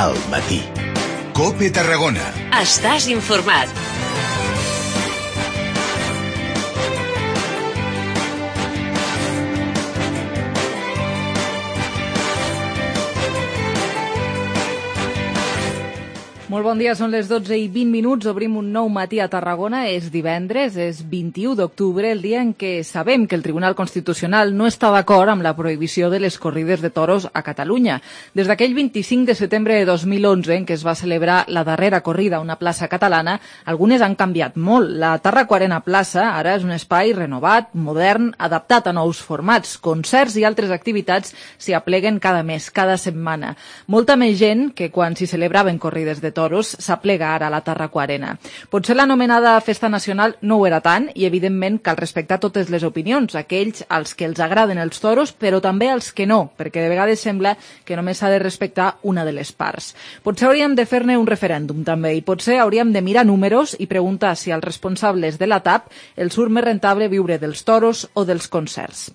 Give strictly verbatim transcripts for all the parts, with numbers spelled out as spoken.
al matí. COPE Tarragona. Estàs informat. Molt bon dia, són les dotze i vint minuts, obrim un nou matí a Tarragona, és divendres, és vint-i-u d'octubre, el dia en què sabem que el Tribunal Constitucional no està d'acord amb la prohibició de les corrides de toros a Catalunya. Des d'aquell vint-i-cinc de setembre de dos mil onze, en què es va celebrar la darrera corrida a una plaça catalana, algunes han canviat molt. La Tarraco-Arena Plaça ara és un espai renovat, modern, adaptat a nous formats. Concerts i altres activitats s'hi apleguen cada mes, cada setmana. Molta més gent que quan s'hi celebraven corrides de toros toros s'aplega ara a la Tarraco-Arena. Potser l'anomenada Festa Nacional no ho era tant i, evidentment, cal respectar totes les opinions, aquells als que els agraden els toros, però també als que no, perquè de vegades sembla que només s'ha de respectar una de les parts. Potser hauríem de fer-ne un referèndum, també, i potser hauríem de mirar números i preguntar si als responsables de la T A P els surt més rentable viure dels toros o dels concerts.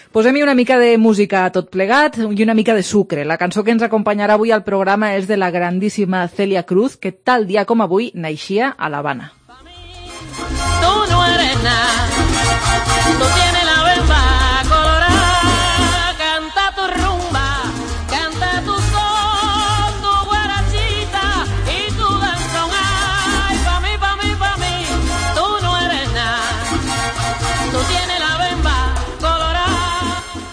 Posem-hi una mica de música a tot plegat i una mica de sucre. La cançó que ens acompanyarà avui al programa és de la grandíssima Celia Cruz, que tal dia com avui naixia a l'Havana. Tú no eres nada, tú tienes la bemba colorada, canta tu rumba, canta tu son, tu guarachita y tu danzón. Ay, pa' mí, pa' mí, pa' mí, tú no eres nada, tú tienes la bemba colorada.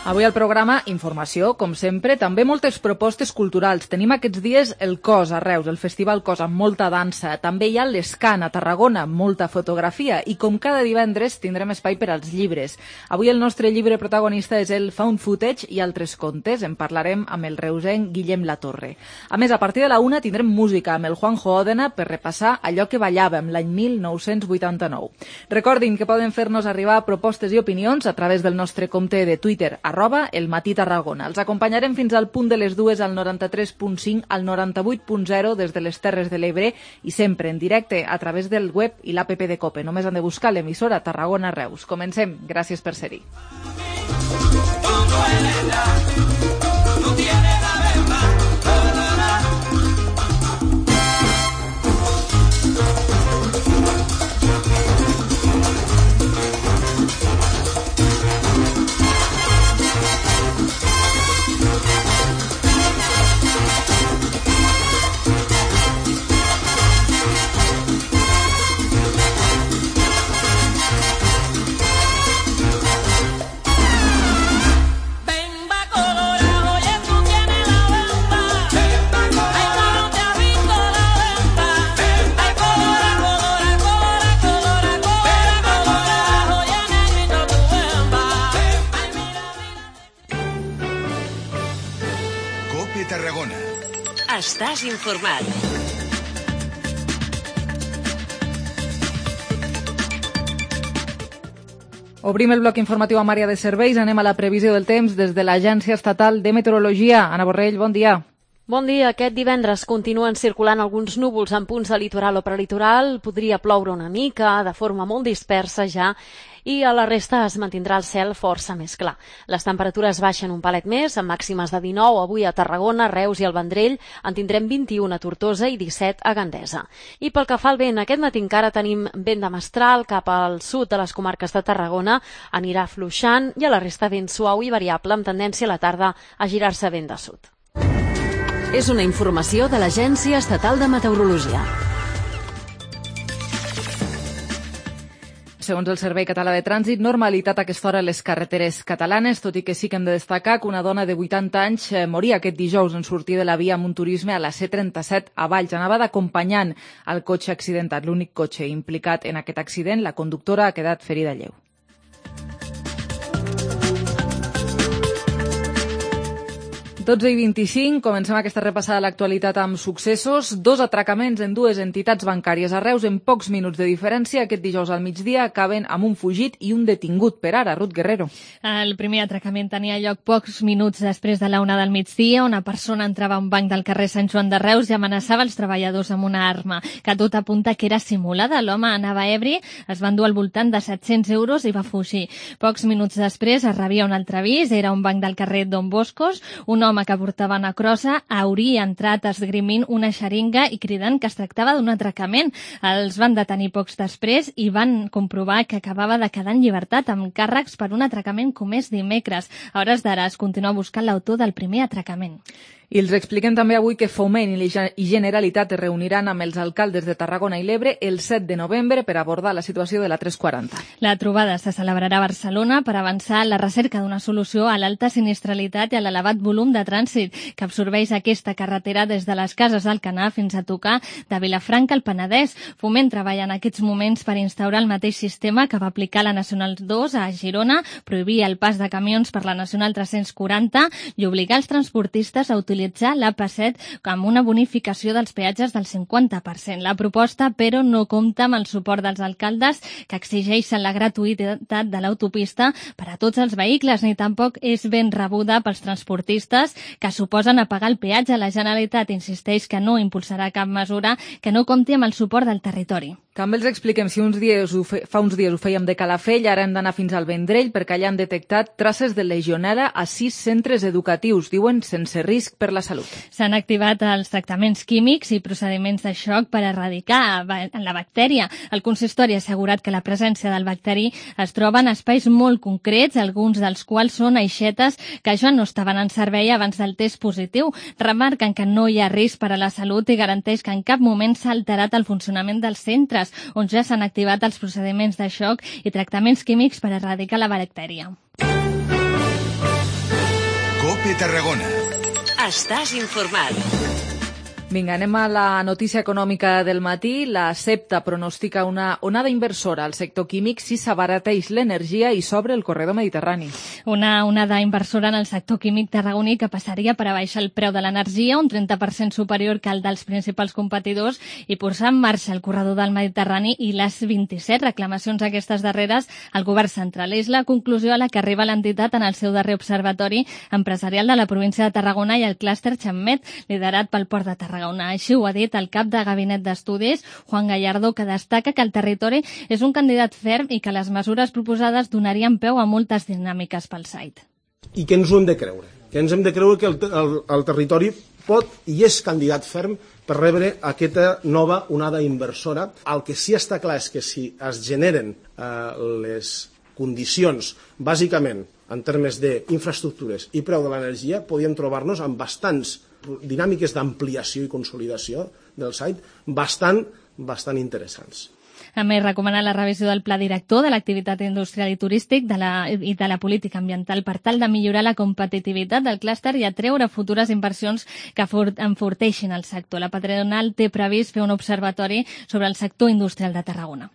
Avui al programa, informació, com sempre, també moltes propostes culturals. Tenim aquests dies el Cos a Reus, el Festival Cos amb molta dansa. També hi ha l'Escan a Tarragona, molta fotografia. I com cada divendres tindrem espai per als llibres. Avui el nostre llibre protagonista és el Found Footage i altres contes. En parlarem amb el reusenc Guillem Latorre. A més, a partir de la una tindrem música amb el Juanjo Òdena per repassar allò que ballàvem l'any mil nou-cents vuitanta-nou. Recordin que poden fer-nos arribar propostes i opinions a través del nostre compte de Twitter, arroba el matí Tarragona. Els acompanyarem fins al punt de les dues al noranta-tres punt cinc, al noranta-vuit punt zero des de les Terres de l'Ebre i sempre en directe a través del web i l'app de COPE. Només han de buscar l'emissora Tarragona Reus. Comencem. Gràcies per ser-hi. Tarragona. Estàs informat. Obrim el bloc informatiu amb àrea de serveis. Anem a la previsió del temps des de l'Agència Estatal de Meteorologia. Anna Borrell, bon dia. Bon dia. Aquest divendres continuen circulant alguns núvols en punts de litoral o prelitoral. Podria ploure una mica, de forma molt dispersa ja, i a la resta es mantindrà el cel força més clar. Les temperatures baixen un palet més, amb màximes de dinou avui a Tarragona, Reus i el Vendrell, en tindrem vint-i-u a Tortosa i disset a Gandesa. I pel que fa al vent, aquest matí encara tenim vent de mestral cap al sud de les comarques de Tarragona, anirà fluixant, i a la resta vent suau i variable amb tendència a la tarda a girar-se vent de sud. És una informació de l'Agència Estatal de Meteorologia. Segons el Servei Català de Trànsit, normalitat a aquesta hora a les carreteres catalanes, tot i que sí que hem de destacar que una dona de vuitanta anys moria aquest dijous en sortir de la via amb un turisme a la C trenta-set a Valls. Anava d'acompanyant el cotxe accidentat, l'únic cotxe implicat en aquest accident. La conductora ha quedat ferida lleu. dotze i vint-i-cinc, comencem aquesta repassada a l'actualitat amb successos. Dos atracaments en dues entitats bancàries a Reus en pocs minuts de diferència. Aquest dijous al migdia acaben amb un fugit i un detingut per ara. Ruth Guerrero. El primer atracament tenia lloc pocs minuts després de la una del migdia. Una persona entrava a un banc del carrer Sant Joan de Reus i amenaçava els treballadors amb una arma, que tot apunta que era simulada. L'home anava ebri, es va endur al voltant de set-cents euros i va fugir. Pocs minuts després es rebia un altre avís. Era un banc del carrer Don Boscos. Un home l'home que portava una crossa hauria entrat esgrimint una xeringa i cridant que es tractava d'un atracament. Els van detenir pocs després i van comprovar que acabava de quedar en llibertat amb càrrecs per un atracament comès dimecres. A hores d'ara es continua buscant l'autor del primer atracament. I els expliquem també avui que Foment i Generalitat es reuniran amb els alcaldes de Tarragona i l'Ebre el set de novembre per abordar la situació de la tres quaranta. La trobada se celebrarà a Barcelona per avançar en la recerca d'una solució a l'alta sinistralitat i a l'elevat volum de trànsit que absorbeix aquesta carretera des de les Cases d'Alcanar fins a tocar de Vilafranca al Penedès. Foment treballa en aquests moments per instaurar el mateix sistema que va aplicar la Nacional dos a Girona, prohibir el pas de camions per la Nacional tres-cents quaranta i obligar els transportistes a utilitzar utilitzar l'A P set amb una bonificació dels peatges del cinquanta per cent. La proposta, però, no compta amb el suport dels alcaldes que exigeixen la gratuïtat de l'autopista per a tots els vehicles, ni tampoc és ben rebuda pels transportistes que suposen a pagar el peatge. La Generalitat insisteix que no impulsarà cap mesura que no compti amb el suport del territori. També els expliquem si uns dies ho fe... fa uns dies ho fèiem de Calafell, ara hem d'anar fins al Vendrell perquè allà han detectat traces de legionel·la a sis centres educatius, diuen sense risc per la salut. S'han activat els tractaments químics i procediments de xoc per erradicar la bactèria. El consistori ha assegurat que la presència del bacteri es troba en espais molt concrets, alguns dels quals són aixetes que ja no estaven en servei abans del test positiu. Remarquen que no hi ha risc per a la salut i garanteix que en cap moment s'ha alterat el funcionament dels centres, on ja s'han activat els procediments de xoc i tractaments químics per erradicar la bactèria. COPE Tarragona. Estàs informat. Vinga, anem a la notícia econòmica del matí. La Septa pronostica una onada inversora al sector químic si s'abarateix l'energia i s'obre el corredor mediterrani. Una onada inversora en el sector químic tarragoní que passaria per a baixar el preu de l'energia, un trenta per cent superior que el dels principals competidors, i posar en marxa el corredor del Mediterrani i les vint-i-set reclamacions aquestes darreres al govern central. És la conclusió a la que arriba l'entitat en el seu darrer observatori empresarial de la província de Tarragona i el clúster Xammet, liderat pel Port de Tarragona. Així ho ha dit el cap de Gabinet d'Estudis, Juan Gallardo, que destaca que el territori és un candidat ferm i que les mesures proposades donarien peu a moltes dinàmiques pel site. I que ens ho hem de creure, que ens hem de creure que el, el, el territori pot i és candidat ferm per rebre aquesta nova onada inversora. El que sí està clar és que si es generen eh, les condicions, bàsicament en termes d'infraestructures i preu de l'energia, podíem trobar-nos amb bastants dinàmiques d'ampliació i consolidació del site bastant, bastant interessants. A més, recomana la revisió del pla director de l'activitat industrial i turístic de la, i de la política ambiental per tal de millorar la competitivitat del clúster i atreure futures inversions que enforteixin el sector. La patronal té previst fer un observatori sobre el sector industrial de Tarragona.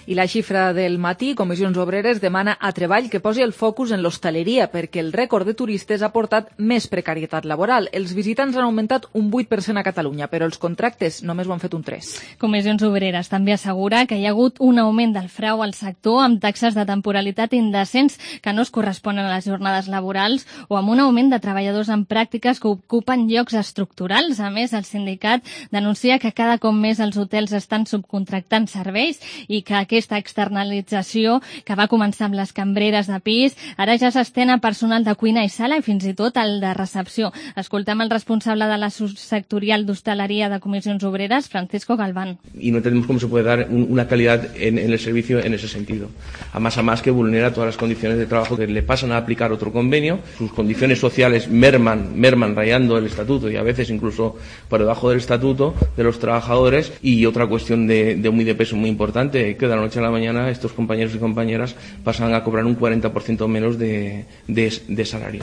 I la xifra del matí, Comissions Obreres demana a Treball que posi el focus en l'hostaleria perquè el rècord de turistes ha portat més precarietat laboral. Els visitants han augmentat un vuit per cent a Catalunya, però els contractes només ho han fet un tres per cent. Comissions Obreres també assegura que hi ha hagut un augment del frau al sector amb taxes de temporalitat indecents que no es corresponen a les jornades laborals o amb un augment de treballadors en pràctiques que ocupen llocs estructurals. A més, el sindicat denuncia que cada cop més els hotels estan subcontractant serveis i que aquesta externalització que va començar amb les cambreres de pis ara ja s'estén a personal de cuina i sala i fins i tot el de recepció. Escoltem el responsable de la subsectorial d'hostaleria de Comissions Obreres, Francisco Galván. Y no entendemos cómo se puede dar una calidad en, en el servicio en ese sentido. A más a más que vulnera todas las condiciones de trabajo que le pasan a aplicar otro convenio. Sus condiciones sociales merman, merman rayando el estatuto y a veces incluso por debajo del estatuto de los trabajadores. Y otra cuestión de, de muy de peso muy importante, que de la noche a la mañana estos compañeros y compañeras pasan a cobrar un cuarenta por ciento menos de, de, de salario.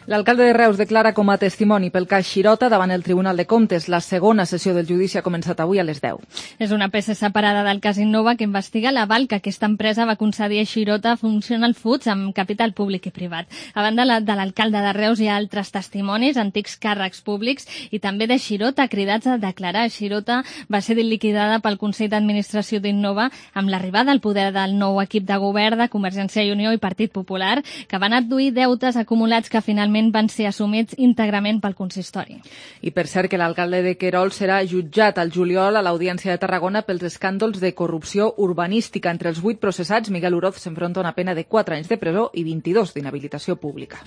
L'alcalde de Reus declara com a testimoni pel cas Xirota davant el Tribunal de Comptes. La segona sessió del judici ha començat avui a les deu. És una peça separada del cas Innova que investiga l'aval que aquesta empresa va concedir a Xirota Functional Foods amb capital públic i privat. A banda de l'alcalde de Reus hi ha altres testimonis, antics càrrecs públics i també de Xirota cridats a declarar. Xirota va ser liquidada pel Consell d'Administració d'Innova amb l'arribada al poder del nou equip de govern de Convergència i Unió i Partit Popular, que van adduir deutes acumulats que finalment finalment van ser assumits íntegrament pel consistori. I per cert que l'alcalde de Querol serà jutjat al juliol a l'Audiència de Tarragona pels escàndols de corrupció urbanística. Entre els vuit processats, Miguel Uroz s'enfronta a una pena de quatre anys de presó i vint-i-dos d'inhabilitació pública.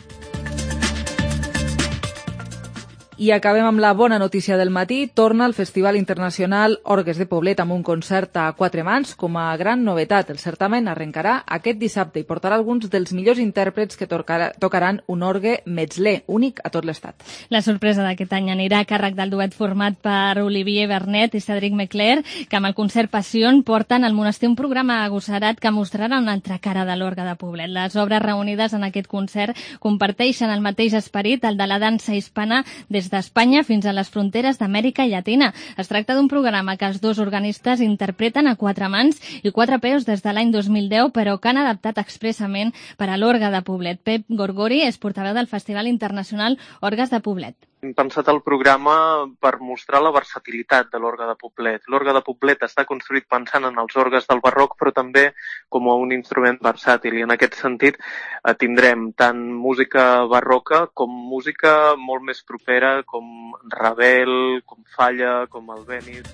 I acabem amb la bona notícia del matí. Torna el Festival Internacional Orgues de Poblet amb un concert a quatre mans. Com a gran novetat, el certamen arrencarà aquest dissabte i portarà alguns dels millors intèrprets que tocaran un orgue metzler, únic a tot l'estat. La sorpresa d'aquest any anirà a càrrec del duet format per Olivier Bernet i Cédric Mecler, que amb el concert Passion porten al monestir un programa agossarat que mostrarà una altra cara de l'orgue de Poblet. Les obres reunides en aquest concert comparteixen el mateix esperit, el de la dansa hispana des d'Espanya fins a les fronteres d'Amèrica Llatina. Es tracta d'un programa que els dos organistes interpreten a quatre mans i quatre peus des de l'any dos mil deu, però que han adaptat expressament per a l'orgue de Poblet. Pep Gorgori és portaveu del Festival Internacional Orgues de Poblet. Hem pensat el programa per mostrar la versatilitat de l'orgue de Poblet. L'orgue de Poblet està construït pensant en els orgues del barroc, però també com a un instrument versàtil. I en aquest sentit eh, tindrem tant música barroca com música molt més propera, com Ravel, com Falla, com Albéniz.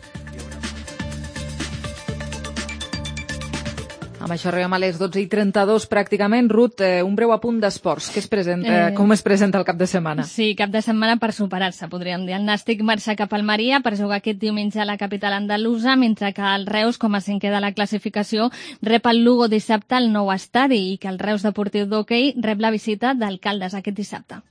Amb això arribem a les dotze i trenta-dos pràcticament. Ruth, eh, un breu apunt d'esports. Què es presenta, eh... com es presenta el cap de setmana? Sí, cap de setmana per superar-se, podríem dir. El Nàstic marxa cap al Maria per jugar aquest diumenge a la capital andalusa, mentre que el Reus, com a cinquè de la classificació, rep el Lugo dissabte al nou estadi i que el Reus Deportiu d'Hoquei rep la visita d'Alcaldes aquest dissabte.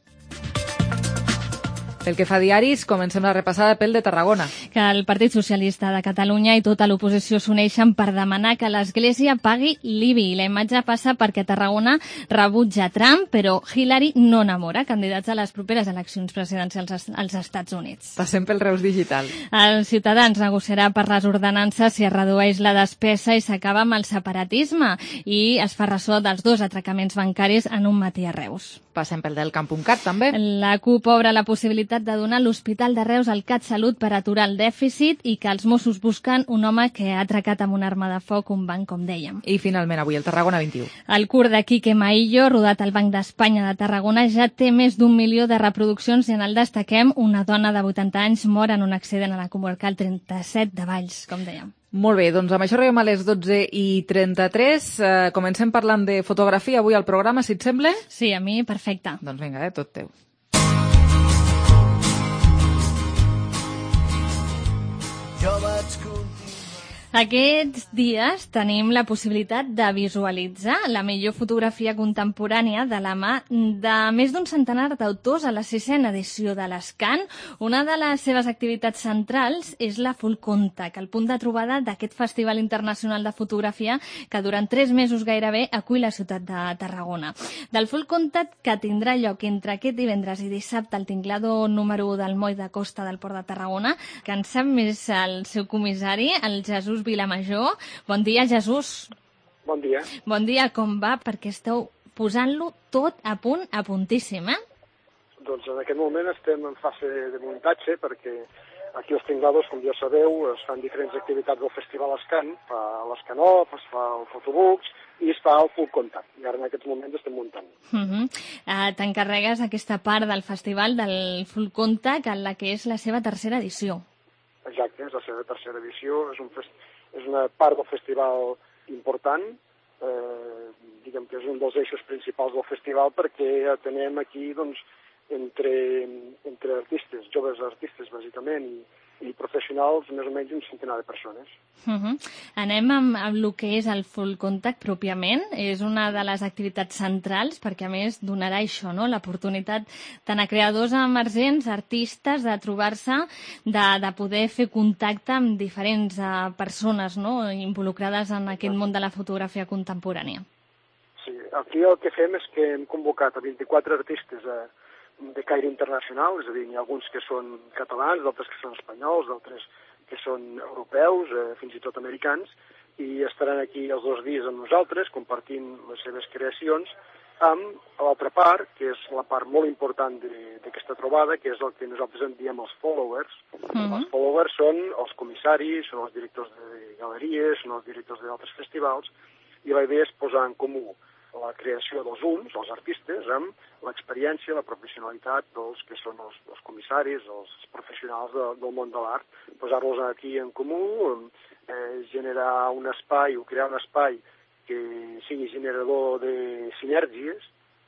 Pel que fa a diaris, comencem la repassada pel de Tarragona. Que el Partit Socialista de Catalunya i tota l'oposició s'uneixen per demanar que l'Església pagui l'I B I. La imatge passa perquè Tarragona rebutja Trump, però Hillary no enamora candidats a les properes eleccions presidencials als Estats Units. Passem pel Reus Digital. Els Ciutadans negociarà per les ordenances si es redueix la despesa i s'acaba amb el separatisme i es fa ressò dels dos atracaments bancaris en un matí a Reus. Passem pel del Camp.cat, també. La CUP obre la possibilitat de donar l'Hospital de Reus al CatSalut per aturar el dèficit i que els Mossos busquen un home que ha atracat amb una arma de foc un banc, com dèiem. I finalment avui el Tarragona vint-i-u. El curt de Quique Maillo, rodat al Banc d'Espanya de Tarragona, ja té més d'un milió de reproduccions i en el destaquem una dona de vuitanta anys mor en un accident a la comarcal trenta-set de Valls, com dèiem. Molt bé, doncs amb això arribem a les dotze i trenta-tres. Eh, comencem parlant de fotografia avui al programa, si et sembla? Sí, a mi perfecte. Doncs vinga, eh, tot teu. Jo vaig continuar. Aquests dies tenim la possibilitat de visualitzar la millor fotografia contemporània de la mà de més d'un centenar d'autors a la sisena edició de l'Escan. Una de les seves activitats centrals és la Full Contact, el punt de trobada d'aquest Festival Internacional de Fotografia que durant tres mesos gairebé acull la ciutat de Tarragona. Del Full Contact que tindrà lloc entre aquest divendres i dissabte al tinglador número u del moll de costa del Port de Tarragona, que en sap més el seu comissari, el Jesús Vilamajor. Bon dia, Jesús. Bon dia. Bon dia, com va? Perquè esteu posant-lo tot a punt, a puntíssim, eh? Doncs en aquest moment estem en fase de muntatge perquè aquí als tinglados, com ja sabeu, es fan diferents activitats del Festival Escan. Fa l'Escanop, es fa el Fotobooks i es fa el Full Contact. I ara en aquests moments estem muntant. Uh -huh. uh, T'encarregues aquesta part del festival del Full Contact, en la que és la seva tercera edició. Exacte, és la seva tercera edició. És un fest... És una part del festival important, eh, diguem que és un dels eixos principals del festival perquè atenem aquí doncs, entre, entre artistes, joves artistes bàsicament, i, i professionals, més o menys un centenar de persones. Uh -huh. Anem amb, amb el que és el Full Contact pròpiament. És una de les activitats centrals perquè a més donarà això, no? L'oportunitat tant a creadors emergents, artistes, de trobar-se, de, de poder fer contacte amb diferents uh, persones, no? Involucrades en aquest món de la fotografia contemporània. Sí, aquí el que fem és que hem convocat a vint-i-quatre artistes a de caire internacional, és a dir, hi ha alguns que són catalans, d'altres que són espanyols, d'altres que són europeus, eh, fins i tot americans, i estaran aquí els dos dies amb nosaltres, compartint les seves creacions, amb l'altra part, que és la part molt important d'aquesta trobada, que és el que nosaltres en diem els followers. Uh-huh. Els followers són els comissaris, són els directors de galeries, són els directors d'altres festivals, i la idea és posar en comú la creació dels uns, els artistes, amb l'experiència, la professionalitat dels que són els, els comissaris, els professionals de, del món de l'art, posar-los aquí en comú, eh, generar un espai o crear un espai que sigui generador de sinergies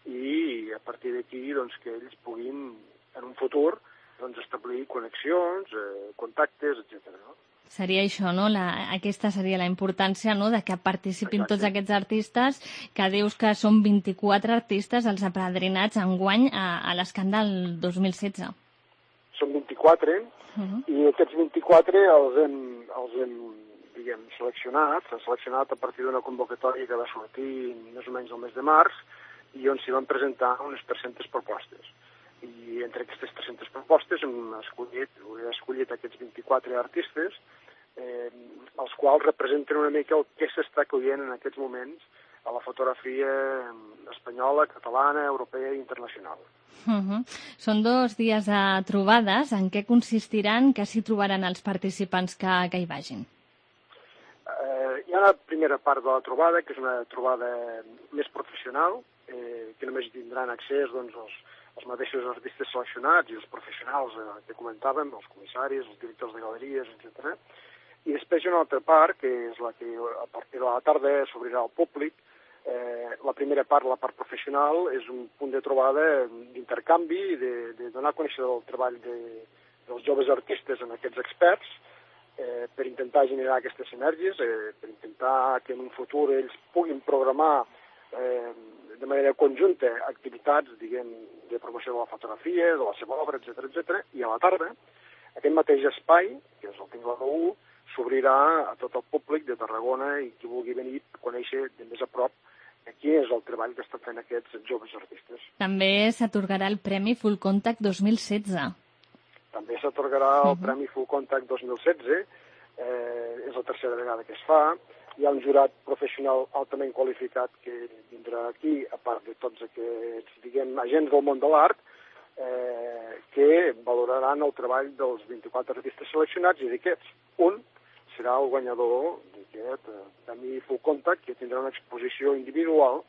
i a partir d'aquí doncs, que ells puguin en un futur doncs, establir connexions, eh, contactes, etcètera. No? Seria això, no? La, aquesta seria la importància, no?, de que participin Exacte. Tots aquests artistes, que dius que són vint-i-quatre artistes els apadrinats enguany a, a l'escàndol dos mil setze. Són vint-i-quatre, uh-huh. i aquests vint-i-quatre els hem, els hem diguem, seleccionat, s'han seleccionat a partir d'una convocatòria que va sortir més o menys el mes de març, i on s'hi van presentar unes tres-centes propostes. I entre aquestes tres-centes propostes hem escollit, he escollit aquests vint-i-quatre artistes, eh, els quals representen una mica el que s'està coient en aquests moments a la fotografia espanyola, catalana, europea i internacional. Uh-huh. Són dos dies de trobades. En què consistiran? Què s'hi trobaran els participants que, que hi vagin? Eh, hi ha una primera part de la trobada, que és una trobada més professional, eh, que només tindran accés doncs, els, els mateixos artistes seleccionats i els professionals eh, que comentàvem, els comissaris, els directors de galeries, etcètera. I després hi ha una altra part, que és la que a partir de la tarda s'obrirà al públic. Eh, la primera part, la part professional, és un punt de trobada d'intercanvi, de, de donar a conèixer el treball de, dels joves artistes amb aquests experts, eh, per intentar generar aquestes sinergies, eh, per intentar que en un futur ells puguin programar eh, de manera conjunta activitats, diguem, de promoció de la fotografia, de la seva obra, etcètera, etcètera. I a la tarda, aquest mateix espai, que és el Tinglado u, s'obrirà a tot el públic de Tarragona i qui vulgui venir a conèixer de més a prop quin és el treball que estan fent aquests joves artistes. També s'atorgarà el Premi Full Contact dos mil setze. També s'atorgarà el uh-huh. Premi Full Contact dos mil setze, eh, és la tercera vegada que es fa. Hi ha un jurat professional altament qualificat que vindrà aquí, a part de tots aquests, diguem, agents del món de l'art, eh, que valoraran el treball dels vint-i-quatre artistes seleccionats i d'aquests, un serà el guanyador d'aquest eh, Premi Full Contact, que tindrà una exposició individual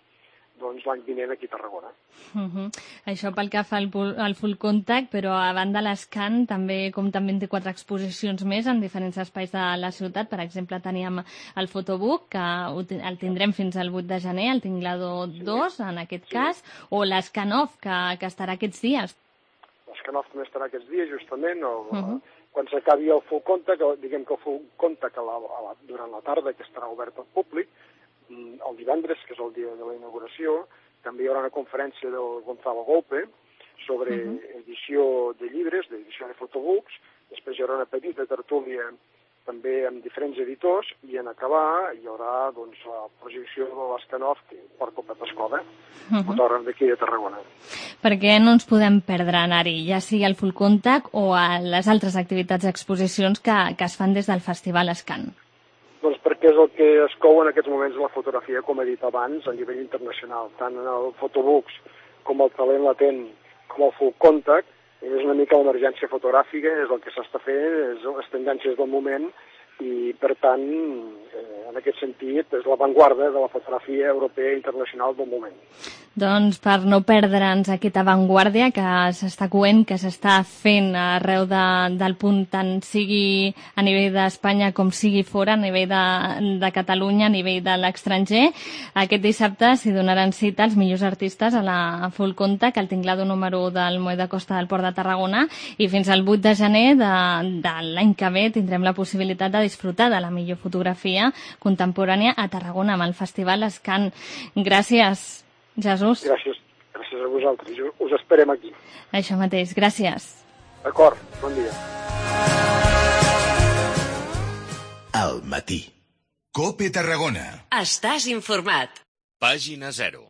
doncs, l'any vinent aquí a Tarragona. Uh-huh. Això pel que fa al, al Full Contact, però a banda l'Escan també compta amb vint-i-quatre exposicions més en diferents espais de la ciutat. Per exemple, teníem el Fotobook, que el tindrem fins al vuit de gener, el Tinglado dos, en aquest sí. cas, o l'Escanoff, que, que estarà aquests dies. L'Escanoff també estarà aquests dies, justament, o, uh-huh. quan s'acabi el Full Contact, diguem que el Full Contact a la, a la, durant la tarda, que estarà obert al públic, el divendres, que és el dia de la inauguració, també hi haurà una conferència del Gonzalo Golpe sobre uh-huh. edició de llibres, d'edició de fotobooks. Després hi haurà una petita tertúlia també amb diferents editors i en acabar hi haurà doncs, la projecció de l'Escanoff que porta el Pep Escoda, uh-huh. fotògraf d'aquí de Tarragona. Per què no ens podem perdre anar-hi, ja sigui al Full Contact o a les altres activitats i exposicions que, que es fan des del Festival Escan? Doncs perquè és el que es cou en aquests moments la fotografia, com he dit abans, a nivell internacional. Tant en el Fotobooks com el talent latent com el Full Contact, és una mica l'emergència fotogràfica, és el que s'està fent, és les tendències del moment i, per tant, eh, en aquest sentit, és l'avantguarda de la fotografia europea i internacional del moment. Doncs per no perdre'ns aquesta avantguàrdia que s'està coent, que s'està fent arreu de, del punt, tant sigui a nivell d'Espanya com sigui fora, a nivell de, de Catalunya, a nivell de l'estranger, aquest dissabte s'hi donaran cita els millors artistes a la Full Contact, al Tinglado número u del Moll de Costa del Port de Tarragona, i fins al vuit de gener de, de l'any que ve tindrem la possibilitat de disfrutar de la millor fotografia contemporània a Tarragona amb el Festival Escan. Gràcies, Jesús. Gràcies, gràcies a vosaltres. Us esperem aquí. Això mateix, gràcies. D'acord, bon dia. Al matí. COPE Tarragona. Estàs informat. Pàgina zero.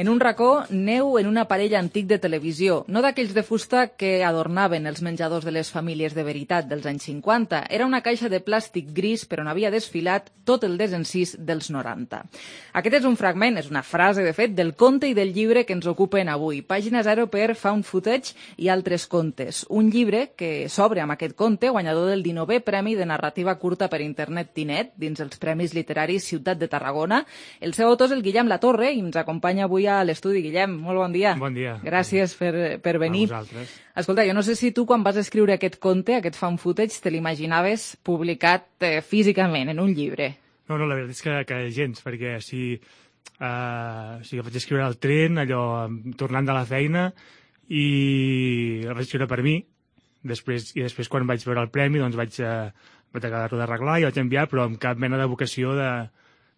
En un racó, neu en un aparell antic de televisió, no d'aquells de fusta que adornaven els menjadors de les famílies de veritat dels anys cinquanta. Era una caixa de plàstic gris per on havia desfilat tot el desencís dels noranta. Aquest és un fragment, és una frase, de fet, del conte i del llibre que ens ocupen avui. Pàgina zero per Found Footage i altres contes. Un llibre que s'obre amb aquest conte, guanyador del dinovè Premi de Narrativa Curta per Internet Tinet, dins els Premis Literaris Ciutat de Tarragona. El seu autor és el Guillem Latorre i ens acompanya avui a l'estudi. Guillem, molt bon dia. Bon dia. Gràcies per, per venir. A vosaltres. Escolta, jo no sé si tu quan vas escriure aquest conte, aquest Found Footage, te l'imaginaves publicat eh, físicament en un llibre. No, no, la veritat és que, que gens, perquè si, uh, si vaig escriure al tren, allò, tornant de la feina, i el vaig escriure per mi, després, i després quan vaig veure el premi doncs vaig, uh, vaig acabar-ho d'arreglar i vaig enviar, però amb cap mena de vocació de,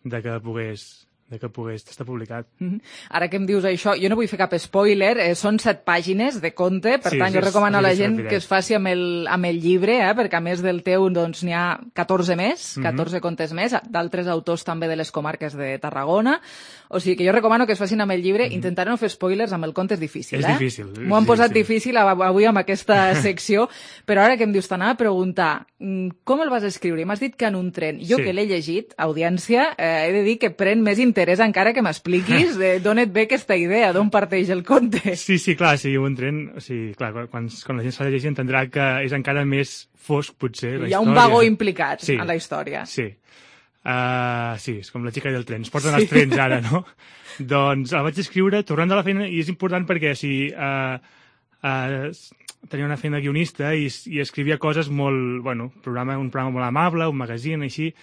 de que pogués... de que pogués estar publicat. Mm-hmm. Ara que em dius això, jo no vull fer cap spoiler, eh, són set pàgines de conte, per sí, tant sí, jo recomano a la gent sí, que es faci amb el, amb el llibre, eh, perquè a més del teu doncs n'hi ha catorze més, catorze mm-hmm. contes més, d'altres autors també de les comarques de Tarragona, o sigui que jo recomano que es facin amb el llibre, mm-hmm. intentaré no fer spoilers, amb el conte és difícil, és eh? difícil. M'ho han posat sí, difícil avui amb aquesta secció, però ara que em dius, t'anava a preguntar, com el vas escriure? I m'has dit que en un tren. Jo sí. que l'he llegit, audiència, eh, he de dir que pren més interès encara que m'expliquis d'on et ve aquesta idea, d'on parteix el conte. Sí, sí, clar, si un tren, o sigui, clar, quan, quan la gent s'ha de llegir entendrà que és encara més fosc, potser, la història. Hi ha un vagó implicat sí, en la història. Sí, uh, sí, és com la xica del tren, es porten sí. els trens ara, no? Doncs el vaig escriure tornant de la feina, i és important perquè si uh, uh, tenia una feina guionista i, i escrivia coses molt, bueno, programa, un programa molt amable, un magazine, així,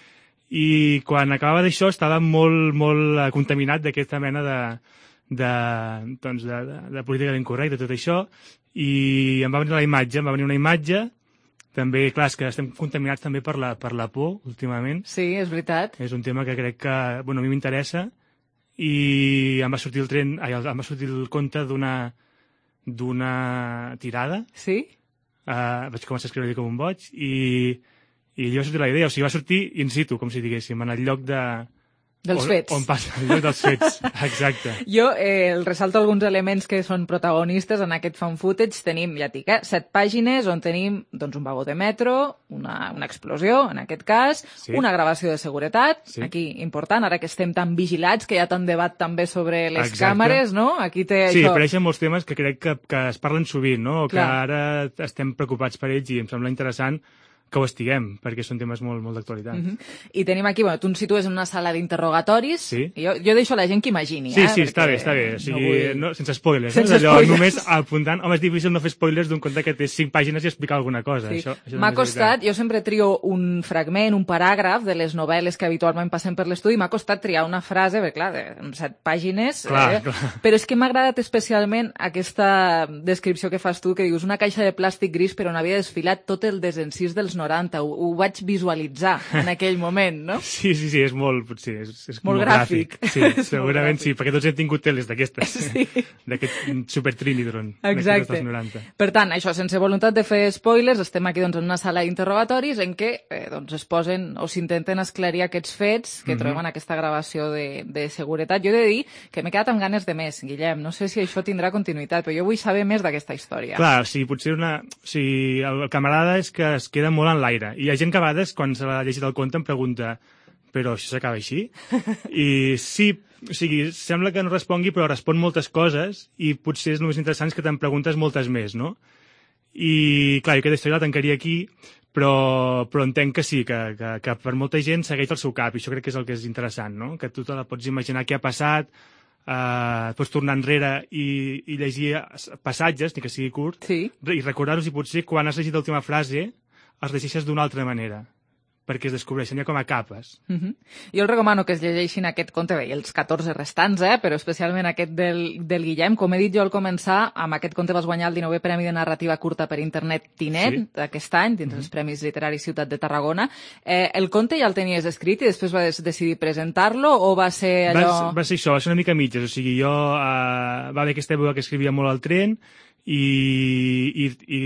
i quan acabava d'això estava molt, molt contaminat d'aquesta mena de, de, doncs de, de, de política incorrecta, tot això, i em va venir la imatge, em va venir una imatge, també, clar, és que estem contaminats també per la, per la por, últimament. Sí, és veritat. És un tema que crec que, bueno, a mi m'interessa, i em va sortir el tren, ai, em va sortir el conte d'una d'una tirada. Sí? Uh, vaig començar a escriure com un boig, i i allò va sortir la idea, o sigui, va sortir in situ, com si diguéssim, en el lloc de... Dels on, fets. On passa, el lloc dels fets, exacte. Jo eh, el ressalto alguns elements que són protagonistes en aquest Found Footage. Tenim, ja dic, eh, set pàgines on tenim doncs, un vagó de metro, una, una explosió, en aquest cas, sí. una gravació de seguretat, sí. aquí important, ara que estem tan vigilats, que hi ha tant debat també sobre les exacte. Càmeres, no? Aquí té sí, això... apareixen molts temes que crec que, que es parlen sovint, no? O que Clar. Ara estem preocupats per ells i em sembla interessant que ho estiguem, perquè són temes molt, molt d'actualitat. Mm-hmm. I tenim aquí, bueno, tu ens situes en una sala d'interrogatoris, sí. i jo, jo deixo a la gent que imagini. Sí, eh, sí, està bé, està bé. O sigui, no vull... no, sense spoilers. Sense eh? Allò, spoilers. només apuntant... Home, és difícil no fer spoilers d'un conte que té cinc pàgines i explicar alguna cosa. Sí. Això, això m'ha costat, jo sempre trio un fragment, un paràgraf de les novel·les que habitualment passem per l'estudi, m'ha costat triar una frase, perquè clar, de set pàgines, clar, eh? clar. Però és que m'ha agradat especialment aquesta descripció que fas tu, que dius una caixa de plàstic gris per on havia desfilat tot el desencís dels noranta. Ho, ho vaig visualitzar en aquell moment, no? Sí, sí, sí, és molt, potser, és, és molt, molt gràfic. gràfic. Sí, segurament sí, perquè tots hem tingut teles d'aquestes, sí. d'aquest super Trinitron. Exacte. Per tant, això, sense voluntat de fer spoilers, estem aquí doncs, en una sala d'interrogatoris en què eh, doncs, es posen o s'intenten esclarir aquests fets que mm-hmm. trobem en aquesta gravació de, de seguretat. Jo he de dir que m'he quedat amb ganes de més, Guillem. No sé si això tindrà continuïtat, però jo vull saber més d'aquesta història. Clar, sí, potser una... O sigui, el, el camarada és que es queda molt en l'aire. I hi ha gent que a vegades, quan se l'ha llegit el conte, em pregunta però això s'acaba així? I sí, o sigui, sembla que no respongui, però respon moltes coses i potser és només interessant que te'n preguntes moltes més, no? I, clar, jo aquesta història la tancaria aquí, però, però entenc que sí, que, que, que per molta gent segueix el seu cap, i això crec que és el que és interessant, no? Que tu te la pots imaginar què ha passat, Uh, pots tornar enrere i, i llegir passatges, ni que sigui curt, sí. i recordar-los i potser quan has llegit l'última frase els llegeixes d'una altra manera, perquè es descobreixen ja com a capes. Uh-huh. Jo els recomano que es llegeixin aquest conte, bé, els catorze restants, eh? Però especialment aquest del, del Guillem. Com he dit jo al començar, amb aquest conte vas guanyar el dinovè Premi de Narrativa Curta per Internet Tinet sí. d'aquest any, dins uh-huh. els Premis Literaris Ciutat de Tarragona. Eh, el conte ja el tenies escrit i després vas decidir presentar-lo o va ser allò... Va, va ser això, va ser una mica mitges. O sigui, jo... Uh, va haver aquesta època que escrivia molt al tren i, i, i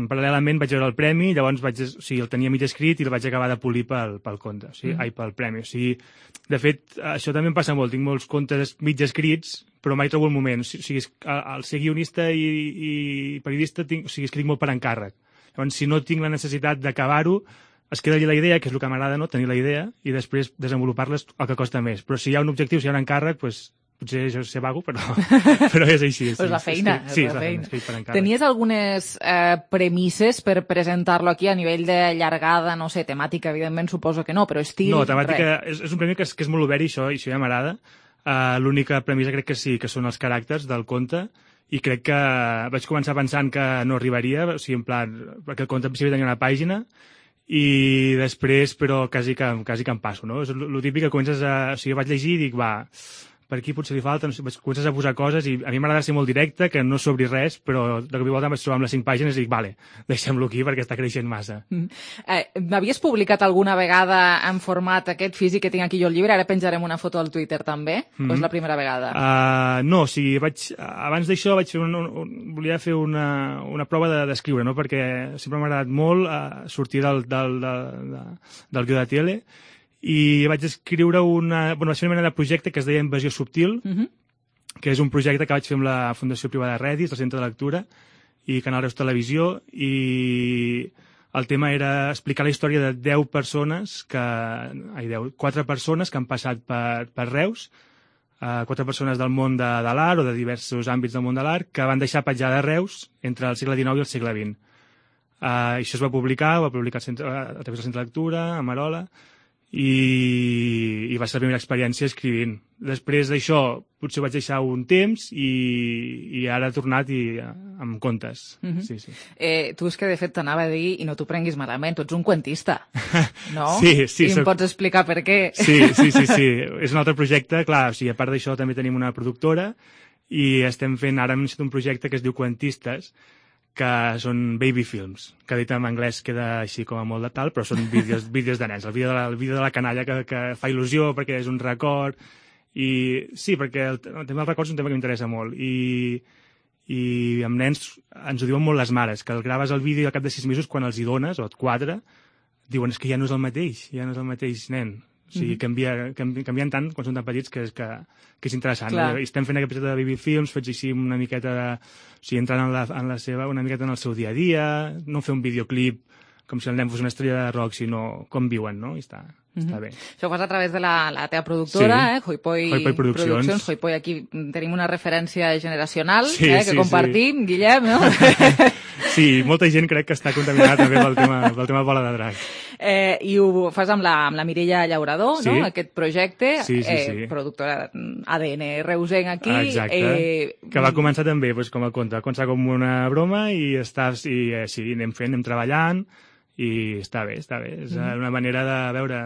paral·lelament vaig veure el premi, llavors vaig, o sigui, el tenia mig escrit i el vaig acabar de polir pel, pel conte, o sigui, mm. ai, pel premi. O sigui, de fet, això també em passa molt, tinc molts contes mig escrits, però mai trobo el moment. O sigui, al ser guionista i, i periodista, tinc, o sigui, escric molt per encàrrec. Llavors, si no tinc la necessitat d'acabar-ho, es queda allà la idea, que és el que m'agrada, no? Tenir la idea, i després desenvolupar-la és el que costa més. Però si hi ha un objectiu, si hi ha un encàrrec, doncs potser jo sé vago, però, però és així. És la feina. Escric, sí, és la feina. Escric per encàrrec. Tenies algunes eh, premisses per presentar-lo aquí a nivell de llargada, no sé, temàtica, evidentment suposo que no, però estil... No, temàtica, és, és un premi que és, que és molt obert i això, i això ja m'agrada. Uh, L'única premissa crec que sí, que són els caràcters del conte, i crec que vaig començar pensant que no arribaria, o sigui, en plan, perquè el conte en principi tenia una pàgina, i després, però, quasi que, quasi que em passo, no? És el típic que comences a... O sigui, vaig llegir i dic, va, per aquí potser li falta, no sé, comences a posar coses i a mi m'agrada ser molt directe, que no s'obri res, però de cop i volta em vaig trobar amb les cinc pàgines i dic, vale, deixem-lo aquí perquè està creixent massa. Mm. Eh, M'havies publicat alguna vegada en format aquest físic que tinc aquí jo el llibre? Ara penjarem una foto al Twitter també? Mm -hmm. O és la primera vegada? Uh, no, o sigui, vaig, abans d'això vaig fer un, un, volia fer una, una prova d'escriure, no? Perquè sempre m'ha agradat molt uh, sortir del, del, del, del, del guió de tele, i vaig escriure una... Bueno, vaig fer una mena de projecte que es deia Invasió Subtil, uh-huh. que és un projecte que vaig fer amb la Fundació Privada Redis, el Centre de Lectura, i Canal Reus Televisió, i el tema era explicar la història de deu persones, que... ai, deu, quatre persones que han passat per, per Reus, uh, quatre persones del món de, de l'art o de diversos àmbits del món de l'art, que van deixar petjada a Reus entre el segle dinou i el segle vint. Uh, això es va publicar, ho va publicar el centre, a través del Centre de Lectura, a Marola, i, i va ser la primera experiència escrivint. Després d'això potser vaig deixar un temps i, i ara he tornat i, amb contes. Mm-hmm. Sí, sí. Eh, tu és que de fet t'anava a dir, i no t'ho prenguis malament, tu ets un cuentista, no? Sí, sí. I em soc... pots explicar per què? Sí, sí, sí, sí. És un altre projecte, clar, o sigui, a part d'això també tenim una productora i estem fent, ara hem iniciat un projecte que es diu Cuentistes, que són baby films, que dit en anglès queda així com a molt de tal, però són vídeos, vídeos de nens, el vídeo de la, el vídeo de la canalla que, que fa il·lusió perquè és un record, i sí, perquè el, el tema dels records és un tema que m'interessa molt, i, i amb nens ens ho diuen molt les mares, que el graves el vídeo al cap de sis mesos, quan els hi dones, o et quatre, diuen, és que ja no és el mateix, ja no és el mateix nen. O sigui, canvia, canvi, canvien tant quan són tan petits que és, que, que és interessant. No? I estem fent aquest projecte de baby films, fets així una miqueta de... O sigui, entrant en la, en la seva, una miqueta en el seu dia a dia, no fer un videoclip com si el nen fos una estrella de rock, sinó com viuen, no? I està, mm-hmm. està bé. Això ho fas a través de la, la teva productora, sí. eh? Hoipoi, Hoipoi Produccions. Produccions. Hoipoi, aquí tenim una referència generacional sí, eh? que sí, compartim, sí. Guillem, no? Sí, molta gent crec que està contaminada també pel tema, pel tema bola de drac. Eh, I ho fas amb la, amb la Mireia Llaurador, sí. no? Aquest projecte, sí, sí, sí. Eh, productora A D N reusenc aquí. Exacte, eh, que va començar també pues, com a conte, va començar com una broma i, estàs, i eh, sí, anem fent, anem treballant, i està bé, està bé. És mm. una manera de veure...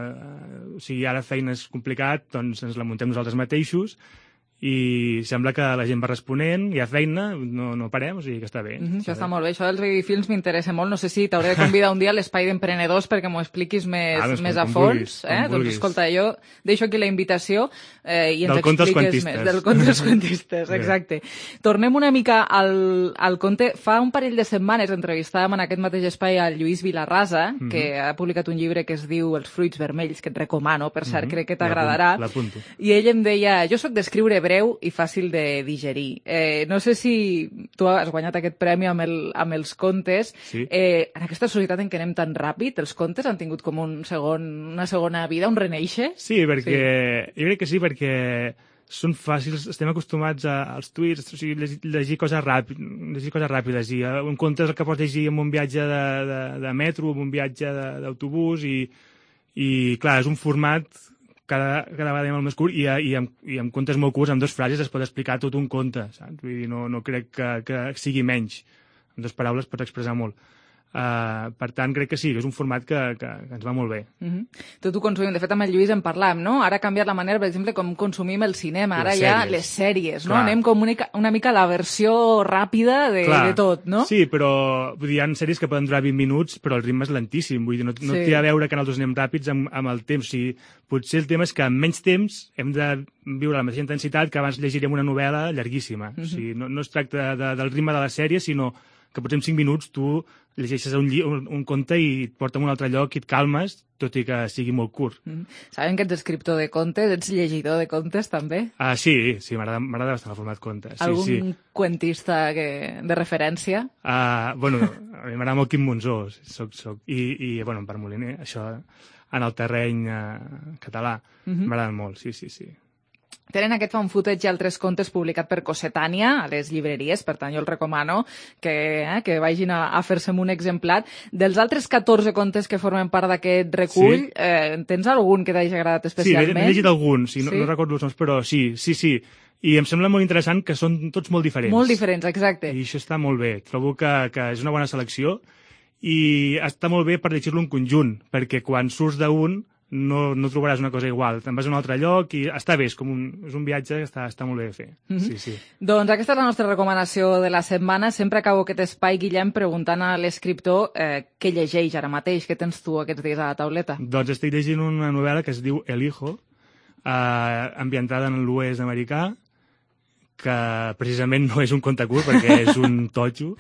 O sigui, ara feina és complicat, doncs ens la muntem nosaltres mateixos, i sembla que la gent va responent, hi ha feina, no, no parem, o sigui que està bé. Mm-hmm, està això està bé. molt bé, això dels baby films m'interessa molt, no sé si t'hauré de convidar un dia a l'Espai d'Emprenedors perquè m'ho expliquis més, ah, doncs, més com, a com fons. vulguis, eh? Doncs vulguis. Escolta, jo deixo aquí la invitació eh, i ens del conte expliques més. Del conte dels cuentistes, exacte. Tornem una mica al, al conte. Fa un parell de setmanes entrevistàvem en aquest mateix espai al Lluís Vilarrasa, mm-hmm. que ha publicat un llibre que es diu Els fruits vermells, que et recomano, per cert, mm-hmm. crec que t'agradarà. L'apunto. I ell em deia, jo sóc d'escriure breu i fàcil de digerir. Eh, no sé si tu has guanyat aquest premi amb, el, amb els contes. Sí. Eh, en aquesta societat en què anem tan ràpid, els contes han tingut com un segon, una segona vida, un reneixer? Sí, perquè sí. jo crec que sí, perquè són fàcils, estem acostumats a, als tuits, o sigui, llegir, llegir, coses ràpid, llegir coses ràpides, i un conte és el que pots llegir en un viatge de, de, de metro, en un viatge d'autobús, i, i clar, és un format cada, cada vegada molt més curt, i, i, amb, i amb contes molt curts, amb dues frases es pot explicar tot un conte, saps? Vull dir, no, no crec que, que sigui menys. En dues paraules pots expressar molt. Uh, per tant, crec que sí, que és un format que, que, que ens va molt bé. Uh-huh. Tot ho consumim. De fet, amb el Lluís en parlàvem, no? Ara ha canviat la manera, per exemple, com consumim el cinema. Ara les ja sèries. les sèries, no? Clar. Anem com una, una mica a la versió ràpida de, Clar. de tot, no? Sí, però vull dir, hi ha sèries que poden durar vint minuts, però el ritme és lentíssim. Vull dir, no, no Sí. té a veure que nosaltres anem ràpids amb, amb el temps. O sigui, potser el tema és que amb menys temps hem de viure la mateixa intensitat que abans llegiríem una novel·la llarguíssima. Mhm. O sigui, no, no es tracta de, del ritme de la sèrie, sinó que potser en cinc minuts tu llegeixes un, lli un, un conte i et porta a un altre lloc i et calmes, tot i que sigui molt curt. Mm. Sabem que ets escriptor de contes, ets llegidor de contes, també? Ah, sí, sí, m'agrada bastant el format conte. Sí, Algun sí. cuentista que, de referència? Uh, bueno, a mi m'agrada molt Quim Monzó, soc, soc, i, i bueno, en Parc Moliner, això en el terreny uh, català, Mhm. m'agraden molt, sí, sí, sí. Tenen aquest fan footage i altres contes publicat per Cossetània a les llibreries, per tant jo el recomano que, eh, que vagin a, a fer-se'm un exemplar. Dels altres catorze contes que formen part d'aquest recull, Sí. eh, tens algun que t'hagi agradat Sí, especialment? n'he llegit alguns, sí, no, Sí? no recordo els noms, però sí, sí, sí. I em sembla molt interessant que són tots molt diferents. Molt diferents, exacte. I això està molt bé. Trobo que, que és una bona selecció i està molt bé per llegir-lo en conjunt, perquè quan surts d'un no, no trobaràs una cosa igual. Te'n vas a un altre lloc i està bé, és com un, és un viatge que està, està molt bé de fer. Mhm. Sí, sí. Doncs aquesta és la nostra recomanació de la setmana. Sempre acabo aquest espai, Guillem, preguntant a l'escriptor eh, què llegeix ara mateix, què tens tu aquests dies a la tauleta? Doncs estic llegint una novel·la que es diu El Hijo, eh, ambientada en l'oest americà, que precisament no és un conte curt perquè és un totxo,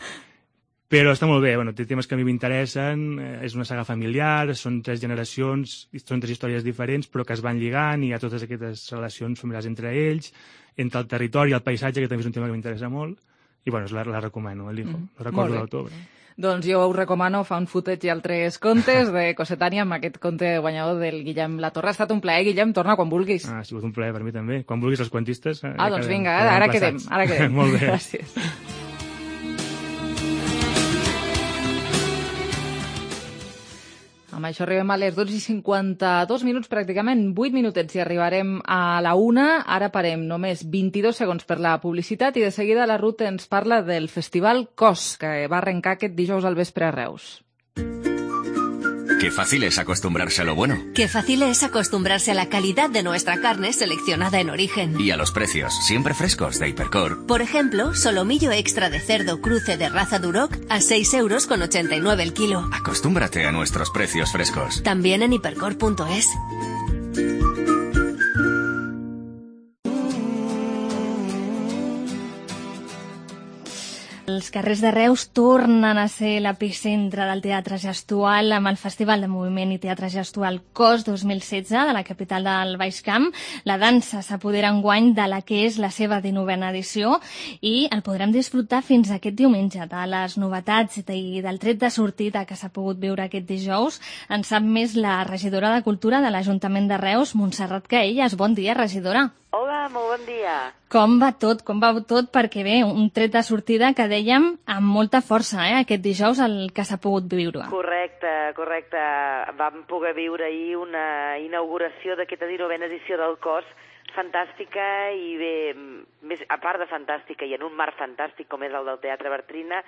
però està molt bé, bueno, té temes que a mi m'interessen, eh, és una saga familiar, són tres generacions, són tres històries diferents, però que es van lligant i hi ha totes aquestes relacions familiars entre ells, entre el territori i el paisatge, que també és un tema que m'interessa molt, i bueno, la, la recomano, El Hijo, Mm, no recordo molt bé. l'autor. Però... Doncs jo us recomano Found Footage i altres contes de Cossetània amb aquest conte guanyador del Guillem Latorre. Ha estat un plaer, Guillem, torna quan vulguis. Ah, ha sigut un plaer per mi també. Quan vulguis els quantistes... eh, Ah, ja doncs quedem- vinga, quedem ara quedem, emplaçats. ara quedem. Molt bé. Gràcies. Amb això arribem a les dotze i cinquanta-dos minuts, pràcticament vuit minutets i arribarem a la una. Ara parem només vint-i-dos segons per la publicitat i de seguida la Ruth ens parla del Festival Cos, que va arrencar aquest dijous al vespre a Reus. Qué fácil es acostumbrarse a lo bueno. Qué fácil es acostumbrarse a la calidad de nuestra carne seleccionada en origen. Y a los precios, siempre frescos, de Hipercor. Por ejemplo, solomillo extra de cerdo cruce de raza Duroc a seis euros con ochenta y nueve el kilo. Acostúmbrate a nuestros precios frescos. También en hipercor punto es. Els carrers de Reus tornen a ser l'epicentre del teatre gestual amb el Festival de Moviment i Teatre Gestual Cos dos mil setze de la capital del Baix Camp. La dansa s'apodera enguany de la que és la seva dinovena edició i el podrem disfrutar fins aquest diumenge. De les novetats i del tret de sortida que s'ha pogut viure aquest dijous en sap més la regidora de Cultura de l'Ajuntament de Reus, Montserrat Caelles. Bon dia, regidora. Hola, molt bon dia. Com va tot? Com va tot? Perquè bé, un tret de sortida que dèiem amb molta força, eh, aquest dijous el que s'ha pogut viure. Correcte, correcte. Vam poder viure ahir una inauguració d'aquesta dinovena edició del Cos, fantàstica i bé, més, a part de fantàstica i en un marc fantàstic com és el del Teatre Bartrina,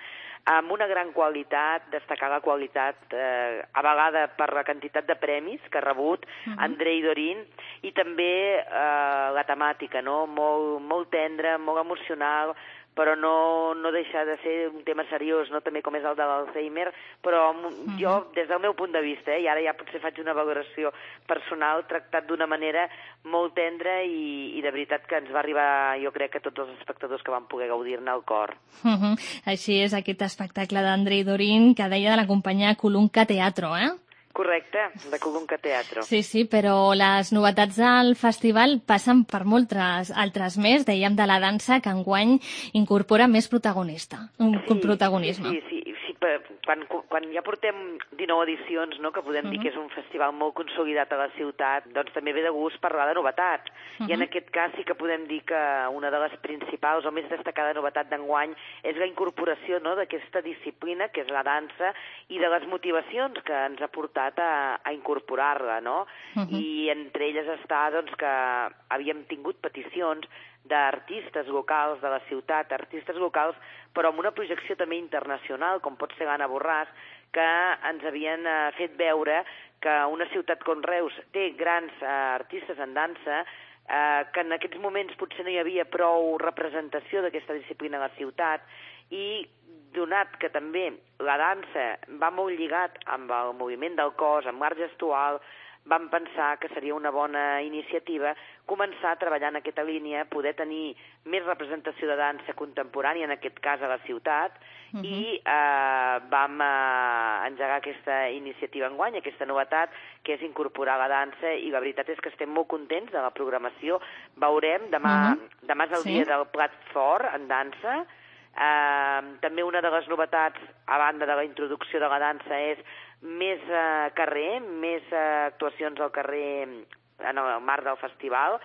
amb una gran qualitat, destacar la qualitat eh, avalada per la quantitat de premis que ha rebut uh-huh. Andrei Dorin i també eh, la temàtica, no? Molt, molt tendra, molt emocional, però no, no deixa de ser un tema seriós, no? També com és el de l'Alzheimer, però uh-huh. jo, des del meu punt de vista, eh, i ara ja potser faig una valoració personal, tractat d'una manera molt tendra i, i de veritat que ens va arribar, jo crec, que tots els espectadors que van poder gaudir-ne al cor. Uh-huh. Així és aquest espectacle d'Andrei Dorin que deia de la companyia Colunca Teatro, eh? Correcte, de Colunca Teatro. Sí, sí, però les novetats del festival passen per moltes altres més. Dèiem de la dansa que enguany incorpora més protagonista, un sí, protagonisme. Sí, sí, sí, sí quan, quan ja portem dinou edicions, no?, que podem uh-huh. dir que és un festival molt consolidat a la ciutat, doncs també ve de gust parlar de novetats. Uh-huh. I en aquest cas sí que podem dir que una de les principals o més destacada novetat d'enguany és la incorporació, no?, d'aquesta disciplina, que és la dansa, i de les motivacions que ens ha portat a, a incorporar-la, no? Uh-huh. I entre elles està, doncs, que havíem tingut peticions d'artistes locals de la ciutat, artistes locals, però amb una projecció també internacional, com pot ser l'Anna Borràs, que ens havien eh, fet veure que una ciutat com Reus té grans eh, artistes en dansa, eh, que en aquests moments potser no hi havia prou representació d'aquesta disciplina a la ciutat, i donat que també la dansa va molt lligat amb el moviment del cos, amb l'art gestual, vam pensar que seria una bona iniciativa començar a treballar en aquesta línia, poder tenir més representació de dansa contemporània, en aquest cas a la ciutat, uh-huh. i eh, vam eh, engegar aquesta iniciativa enguany, aquesta novetat, que és incorporar la dansa, i la veritat és que estem molt contents de la programació. Veurem, demà, uh-huh. demà és el Sí. dia del plat fort en dansa. Eh, també una de les novetats, a banda de la introducció de la dansa, és més eh, carrer, més eh, actuacions al carrer en el marc del festival,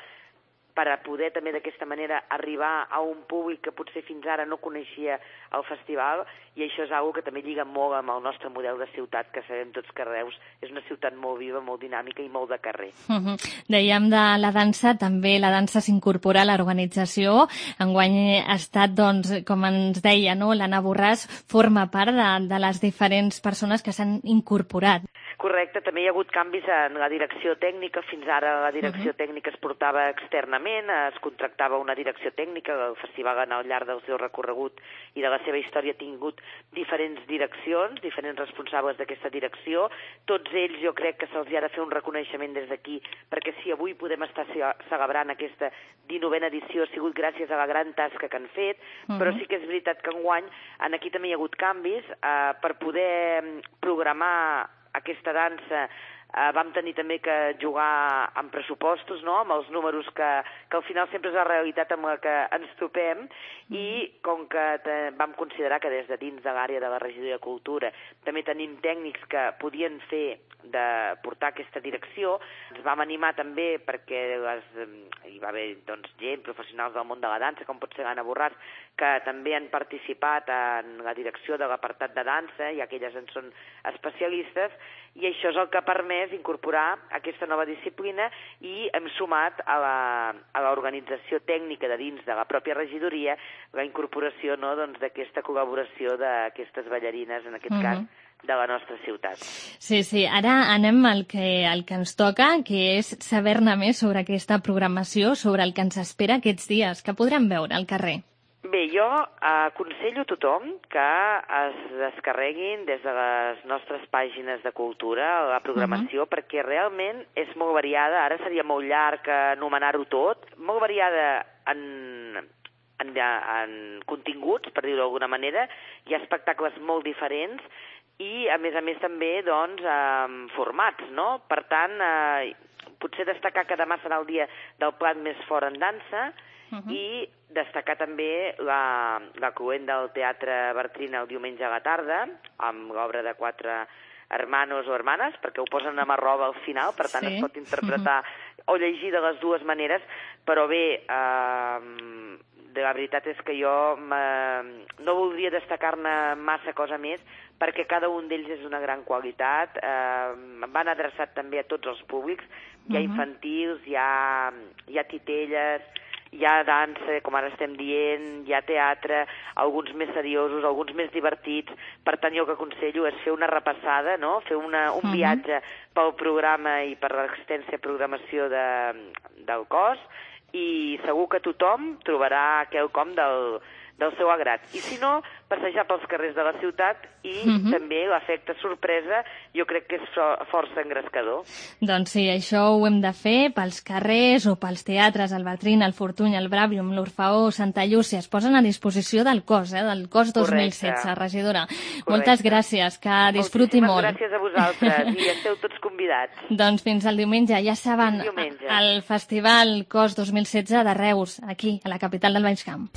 per a poder també d'aquesta manera arribar a un públic que potser fins ara no coneixia el festival, i això és una que també lliga molt amb el nostre model de ciutat, que sabem tots que Reus és una ciutat molt viva, molt dinàmica i molt de carrer. Uh-huh. Dèiem de la dansa, també la dansa s'incorpora a l'organització. Enguany ha estat, doncs, com ens deia, no? l'Anna Borràs forma part de, de les diferents persones que s'han incorporat. Correcte, també hi ha hagut canvis en la direcció tècnica. Fins ara la direcció Uh-huh. tècnica es portava externament, es contractava una direcció tècnica. El festival, al llarg del seu recorregut i de la seva història, ha tingut diferents direccions, diferents responsables d'aquesta direcció. Tots ells jo crec que se'ls ha de fer un reconeixement des d'aquí, perquè si avui podem estar celebrant aquesta dinovena edició ha sigut gràcies a la gran tasca que han fet, uh-huh. però sí que és veritat que enguany en aquí també hi ha hagut canvis eh, per poder programar aquesta dansa. Eh, vam tenir també que jugar amb pressupostos, no?, amb els números que, que al final sempre és la realitat amb la que ens topem, i com que te, vam considerar que des de dins de l'àrea de la Regidoria de Cultura també tenim tècnics que podien fer de portar aquesta direcció, ens vam animar també perquè les, hi va haver doncs, gent, professionals del món de la dansa, com pot ser l'Anna Borràs, que també han participat en la direcció de l'apartat de dansa, ja que elles en són especialistes, i això és el que ha permès incorporar aquesta nova disciplina, i hem sumat a la, a l'organització tècnica de dins de la pròpia regidoria la incorporació, no, doncs, d'aquesta col·laboració d'aquestes ballarines, en aquest uh-huh. cas, de la nostra ciutat. Sí, sí. Ara anem al que, al que ens toca, que és saber-ne més sobre aquesta programació, sobre el que ens espera aquests dies. Què podrem veure al carrer? Bé, jo aconsello a tothom que es descarreguin des de les nostres pàgines de cultura la programació, uh-huh. perquè realment és molt variada. Ara seria molt llarg anomenar-ho tot. Molt variada en, en, en continguts, per dir-ho d'alguna manera. Hi ha espectacles molt diferents i, a més a més, també doncs, en formats, no? Per tant, eh, potser destacar que demà serà el dia del plat més fort en dansa, uh-huh. i destacar també la, la cluent del Teatre Bartrina el diumenge a la tarda, amb l'obra de quatre hermanos o hermanes, perquè ho posen amb arroba al final, per tant sí. es pot interpretar uh-huh. o llegir de les dues maneres, però bé, eh, la veritat és que jo no voldria destacar-ne massa cosa més, perquè cada un d'ells és una gran qualitat, eh, van adreçat també a tots els públics, hi ha infantils, hi ha, hi ha titelles, hi ha dansa, com ara estem dient, hi ha teatre, alguns més seriosos, alguns més divertits. Per tant, jo el que aconsello és fer una repassada, no? Fer una, un uh-huh. viatge pel programa i per l'extensa programació de, del cos, i segur que tothom trobarà quelcom del, del seu agrat. I si no, passejar pels carrers de la ciutat, i uh-huh. també l'efecte sorpresa jo crec que és força engrescador. Doncs sí, això ho hem de fer pels carrers o pels teatres, el Bartrin, el Fortuny, el Bràvium, l'Orfeó, Santa Llúcia. Es posen a disposició del cos, eh, del cos dos mil setze, regidora. Correcte. Moltes gràcies, que disfruti Moltíssimes molt. Gràcies a vosaltres, i esteu tots convidats. Doncs fins al diumenge, ja saben, el Festival Cos dos mil setze de Reus, aquí, a la capital del Baix Camp.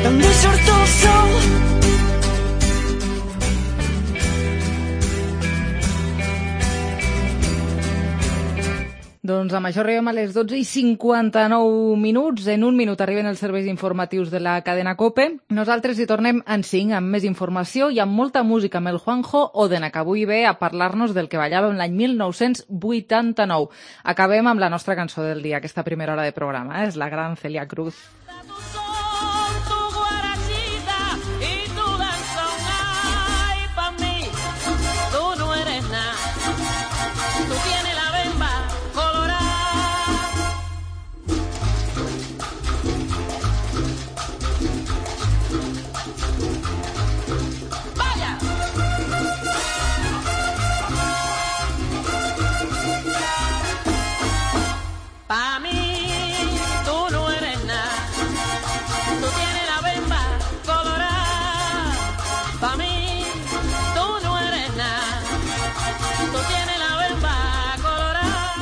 També surt el sol. Doncs amb això arribem a les dotze i cinquanta-nou minuts. En un minut arriben els serveis informatius de la cadena COPE. Nosaltres hi tornem en cinc amb més informació i amb molta música amb el Juanjo Odena, que avui ve a parlar-nos del que ballàvem l'any mil nou-cents vuitanta-nou. Acabem amb la nostra cançó del dia, aquesta primera hora de programa, eh? És la gran Celia Cruz. Y tu danzón Pa' mí tú no eres nada, tú tienes la bemba colorada. Pa' mí tú no eres nada, tú tienes la bemba colorada.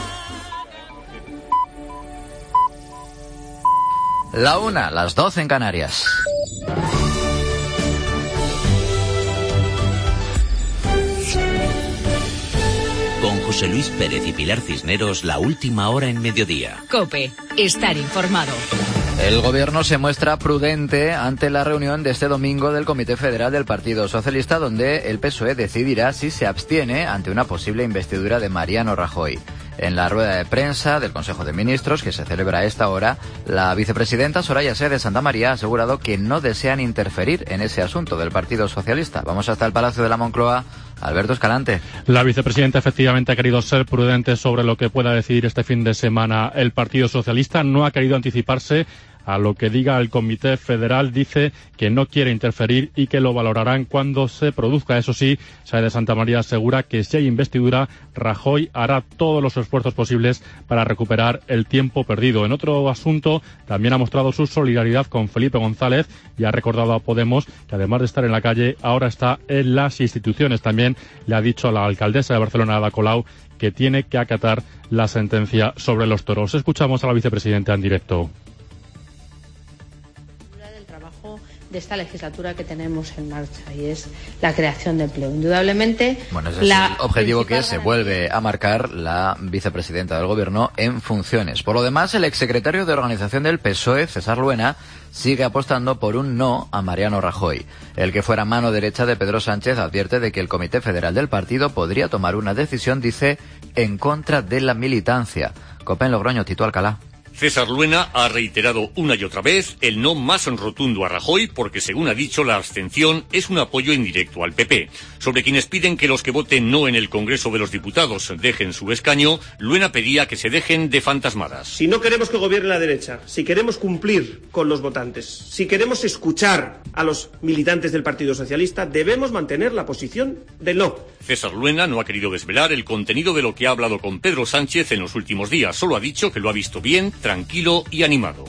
La una, las doce en Canarias. Con José Luis Pérez y Pilar Cisneros, la última hora en mediodía. COPE, estar informado. El gobierno se muestra prudente ante la reunión de este domingo del Comité Federal del Partido Socialista, donde el P S O E decidirá si se abstiene ante una posible investidura de Mariano Rajoy. En la rueda de prensa del Consejo de Ministros, que se celebra a esta hora, la vicepresidenta Soraya Sáez de Santamaría ha asegurado que no desean interferir en ese asunto del Partido Socialista. Vamos hasta el Palacio de la Moncloa. Alberto Escalante. La vicepresidenta efectivamente ha querido ser prudente sobre lo que pueda decidir este fin de semana el Partido Socialista. No ha querido anticiparse a lo que diga el Comité Federal. Dice que no quiere interferir y que lo valorarán cuando se produzca. Eso sí, Sáez de Santamaría asegura que si hay investidura, Rajoy hará todos los esfuerzos posibles para recuperar el tiempo perdido. En otro asunto, también ha mostrado su solidaridad con Felipe González y ha recordado a Podemos que además de estar en la calle, ahora está en las instituciones. También le ha dicho a la alcaldesa de Barcelona, Ada Colau, que tiene que acatar la sentencia sobre los toros. Escuchamos a la vicepresidenta en directo. De esta legislatura que tenemos en marcha, y es la creación de empleo. Indudablemente, bueno, ese es el objetivo que se vuelve a marcar la vicepresidenta del Gobierno en funciones. Por lo demás, el exsecretario de Organización del P S O E, César Luena, sigue apostando por un no a Mariano Rajoy. El que fuera mano derecha de Pedro Sánchez advierte de que el Comité Federal del partido podría tomar una decisión, dice, en contra de la militancia. Copen Logroño, Tito Alcalá. César Luena ha reiterado una y otra vez el no más rotundo a Rajoy porque, según ha dicho, la abstención es un apoyo indirecto al P P. Sobre quienes piden que los que voten no en el Congreso de los Diputados dejen su escaño, Luena pedía que se dejen de fantasmadas. Si no queremos que gobierne la derecha, si queremos cumplir con los votantes, si queremos escuchar a los militantes del Partido Socialista, debemos mantener la posición del no. César Luena no ha querido desvelar el contenido de lo que ha hablado con Pedro Sánchez en los últimos días. Solo ha dicho que lo ha visto bien, tranquilo y animado.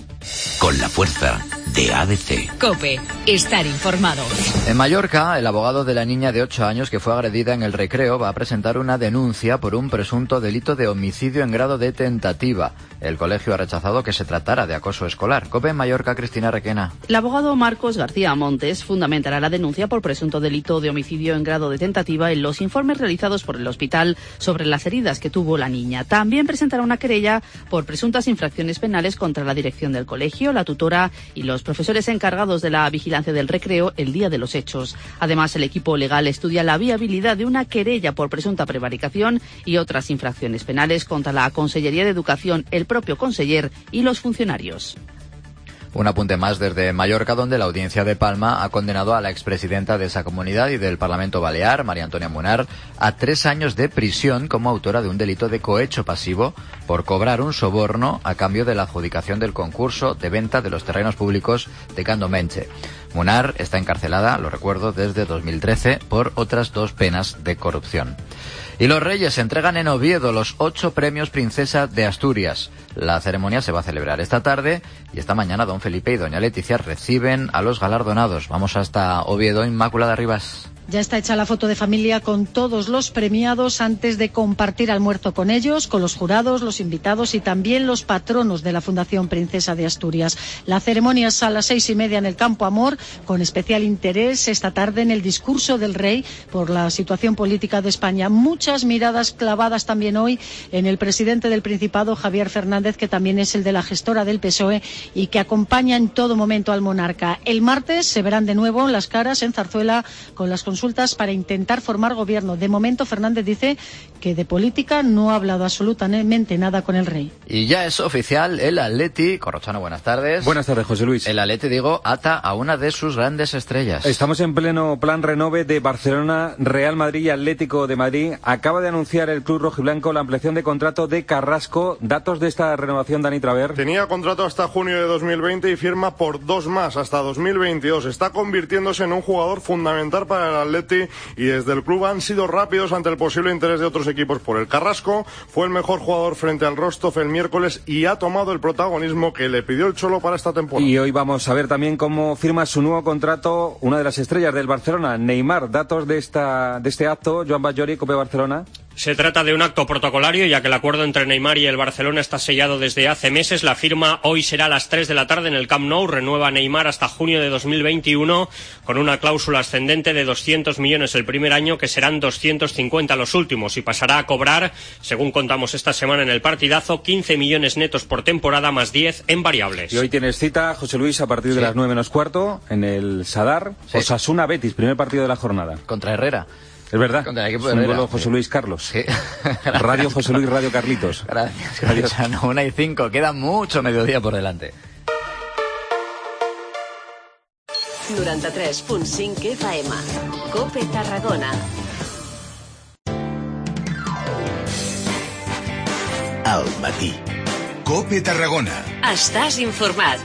Con la fuerza de A B C. COPE, estar informado. En Mallorca, el abogado de la niña de ocho años que fue agredida en el Recreo va a presentar una denuncia por un presunto delito de homicidio en grado de tentativa. El colegio ha rechazado que se tratara de acoso escolar. COPE en Mallorca, Cristina Requena. El abogado Marcos García Montes fundamentará la denuncia por presunto delito de homicidio en grado de tentativa en los informes realizados por el hospital sobre las heridas que tuvo la niña. También presentará una querella por presuntas infracciones penales contra la dirección del colegio, la tutora y los profesores encargados de la vigilancia del recreo el día de los hechos. Además, el equipo legal estudia la viabilidad de una querella por presunta prevaricación y otras infracciones penales contra la Consellería de Educación, el propio conseller y los funcionarios. Un apunte más desde Mallorca, donde la Audiencia de Palma ha condenado a la expresidenta de esa comunidad y del Parlamento Balear, María Antonia Munar, a tres años de prisión como autora de un delito de cohecho pasivo por cobrar un soborno a cambio de la adjudicación del concurso de venta de los terrenos públicos de Candomenche. Munar está encarcelada, lo recuerdo, desde dos mil trece por otras dos penas de corrupción. Y los Reyes entregan en Oviedo los ocho premios Princesa de Asturias. La ceremonia se va a celebrar esta tarde y esta mañana don Felipe y doña Leticia reciben a los galardonados. Vamos hasta Oviedo, Inmaculada Rivas. Ya está hecha la foto de familia con todos los premiados antes de compartir almuerzo con ellos, con los jurados, los invitados y también los patronos de la Fundación Princesa de Asturias. La ceremonia es a las seis y media en el Campo Amor, con especial interés esta tarde en el discurso del rey por la situación política de España. Muchas miradas clavadas también hoy en el presidente del Principado, Javier Fernández, que también es el de la gestora del P S O E y que acompaña en todo momento al monarca. El martes se verán de nuevo las caras en Zarzuela con las consultas para intentar formar gobierno. De momento, Fernández dice que de política no ha hablado absolutamente nada con el rey. Y ya es oficial, el Atleti, Corrochano, buenas tardes. Buenas tardes, José Luis. El Atleti, digo, ata a una de sus grandes estrellas. Estamos en pleno plan renove de Barcelona, Real Madrid y Atlético de Madrid. Acaba de anunciar el club rojiblanco la ampliación de contrato de Carrasco. Datos de esta renovación, Dani Traver. Tenía contrato hasta junio de dos mil veinte y firma por dos más hasta dos mil veintidós. Está convirtiéndose en un jugador fundamental para el Atleti y desde el club han sido rápidos ante el posible interés de otros equipos por el Carrasco. Fue el mejor jugador frente al Rostov el miércoles y ha tomado el protagonismo que le pidió el Cholo para esta temporada. Y hoy vamos a ver también cómo firma su nuevo contrato una de las estrellas del Barcelona, Neymar. Datos de esta de este acto, Joan Batllori, COPE Barcelona. Se trata de un acto protocolario, ya que el acuerdo entre Neymar y el Barcelona está sellado desde hace meses. La firma hoy será a las tres de la tarde en el Camp Nou. Renueva Neymar hasta junio de dos mil veintiuno con una cláusula ascendente de doscientos millones el primer año, que serán doscientos cincuenta los últimos, y pasará a cobrar, según contamos esta semana en el partidazo, quince millones netos por temporada más diez en variables. Y hoy tienes cita, José Luis, a partir de sí. las nueve menos cuarto en el Sadar. Sí. Osasuna Betis, primer partido de la jornada. Contra Herrera. Es verdad, contra el equipo de Herrera. Símbolo José Sí. Luis Carlos. Sí. Radio José Luis, Radio Carlitos. Gracias, Gracias. Una y cinco, queda mucho mediodía por delante. noranta-tres punt cinc F M, COPE Tarragona. Al matí. COPE Tarragona. Estàs informat.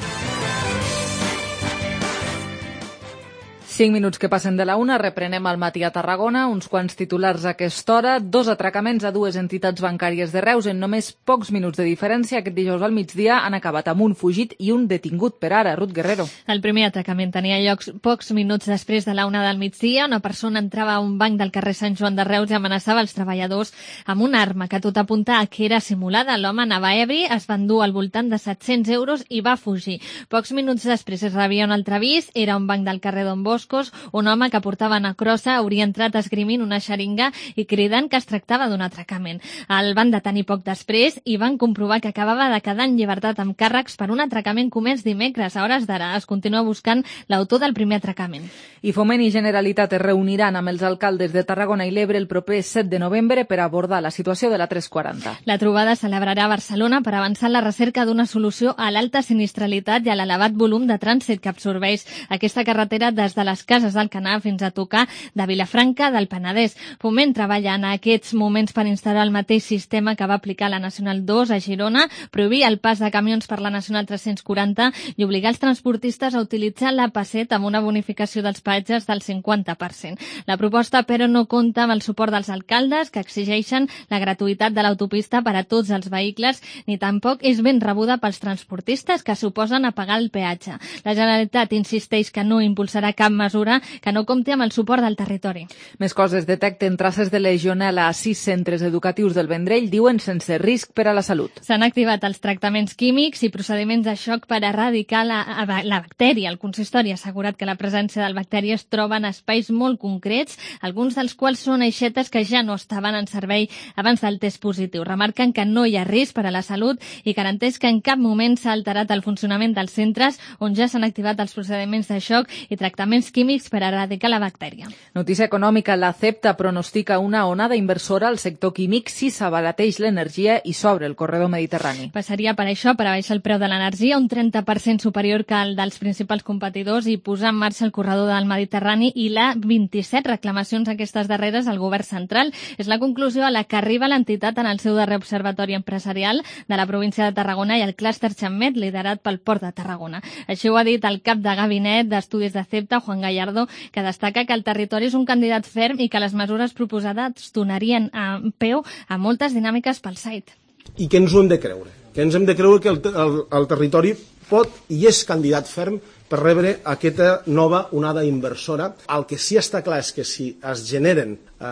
Cinc minuts que passen de la una, reprenem al matí a Tarragona, uns quants titulars a aquesta hora, dos atracaments a dues entitats bancàries de Reus en només pocs minuts de diferència. Aquest dijous al migdia han acabat amb un fugit i un detingut per ara. Ruth Guerrero. El primer atracament tenia lloc pocs minuts després de la una del migdia. Una persona entrava a un banc del carrer Sant Joan de Reus i amenaçava els treballadors amb una arma que tot apunta a que era simulada. L'home anava ebri, es va endur al voltant de set-cents euros i va fugir. Pocs minuts després es rebia un altre avís, era un banc del carrer Don Bosco. Un home que portava una crossa hauria entrat esgrimint una xeringa i cridant que es tractava d'un atracament. El van detenir poc després i van comprovar que acabava de quedar en llibertat amb càrrecs per un atracament comès dimecres. A hores d'ara es continua buscant l'autor del primer atracament. I Foment i Generalitat es reuniran amb els alcaldes de Tarragona i l'Ebre el proper set de novembre per abordar la situació de la tres quaranta. La trobada es celebrarà a Barcelona per avançar en la recerca d'una solució a l'alta sinistralitat i a l'elevat volum de trànsit que absorbeix aquesta carretera des de les Cases d'Alcanar fins a tocar de Vilafranca del Penedès. Foment treballa en aquests moments per instal·lar el mateix sistema que va aplicar la Nacional dos a Girona, prohibir el pas de camions per la Nacional tres-cents quaranta i obligar els transportistes a utilitzar l'A P set amb una bonificació dels peatges del cinquanta per cent. La proposta, però, no compta amb el suport dels alcaldes, que exigeixen la gratuïtat de l'autopista per a tots els vehicles, ni tampoc és ben rebuda pels transportistes, que suposen a pagar el peatge. La Generalitat insisteix que no impulsarà cap mesura que no compti amb el suport del territori. Més coses. Detecten traces de legionel·la a sis centres educatius del Vendrell, diuen sense risc per a la salut. S'han activat els tractaments químics i procediments de xoc per erradicar la, la bactèria. El consistori ha assegurat que la presència del bacteri es troba en espais molt concrets, alguns dels quals són aixetes que ja no estaven en servei abans del test positiu. Remarquen que no hi ha risc per a la salut i garanteix que en cap moment s'ha alterat el funcionament dels centres on ja s'han activat els procediments de xoc i tractaments químics per erradicar la bactèria. Notícia econòmica. La CEPTA pronostica una onada inversora al sector químic si s'abarateix l'energia i s'obre el corredor mediterrani. Passaria per això, per abaixar el preu de l'energia, un trenta per cent superior que el dels principals competidors i posar en marxa el corredor del Mediterrani i la vint-i-set reclamacions aquestes darreres al govern central. És la conclusió a la que arriba l'entitat en el seu darrer observatori empresarial de la província de Tarragona i el clúster Xammet, liderat pel Port de Tarragona. Així ho ha dit el cap de gabinet d'estudis de CEPTA, Juan Gallardo, que destaca que el territori és un candidat ferm i que les mesures proposades donarien a peu a moltes dinàmiques pel site. I que ens ho hem de creure, que ens hem de creure que el, el, el territori pot i és candidat ferm per rebre aquesta nova onada inversora. El que sí està clar és que si es generen eh,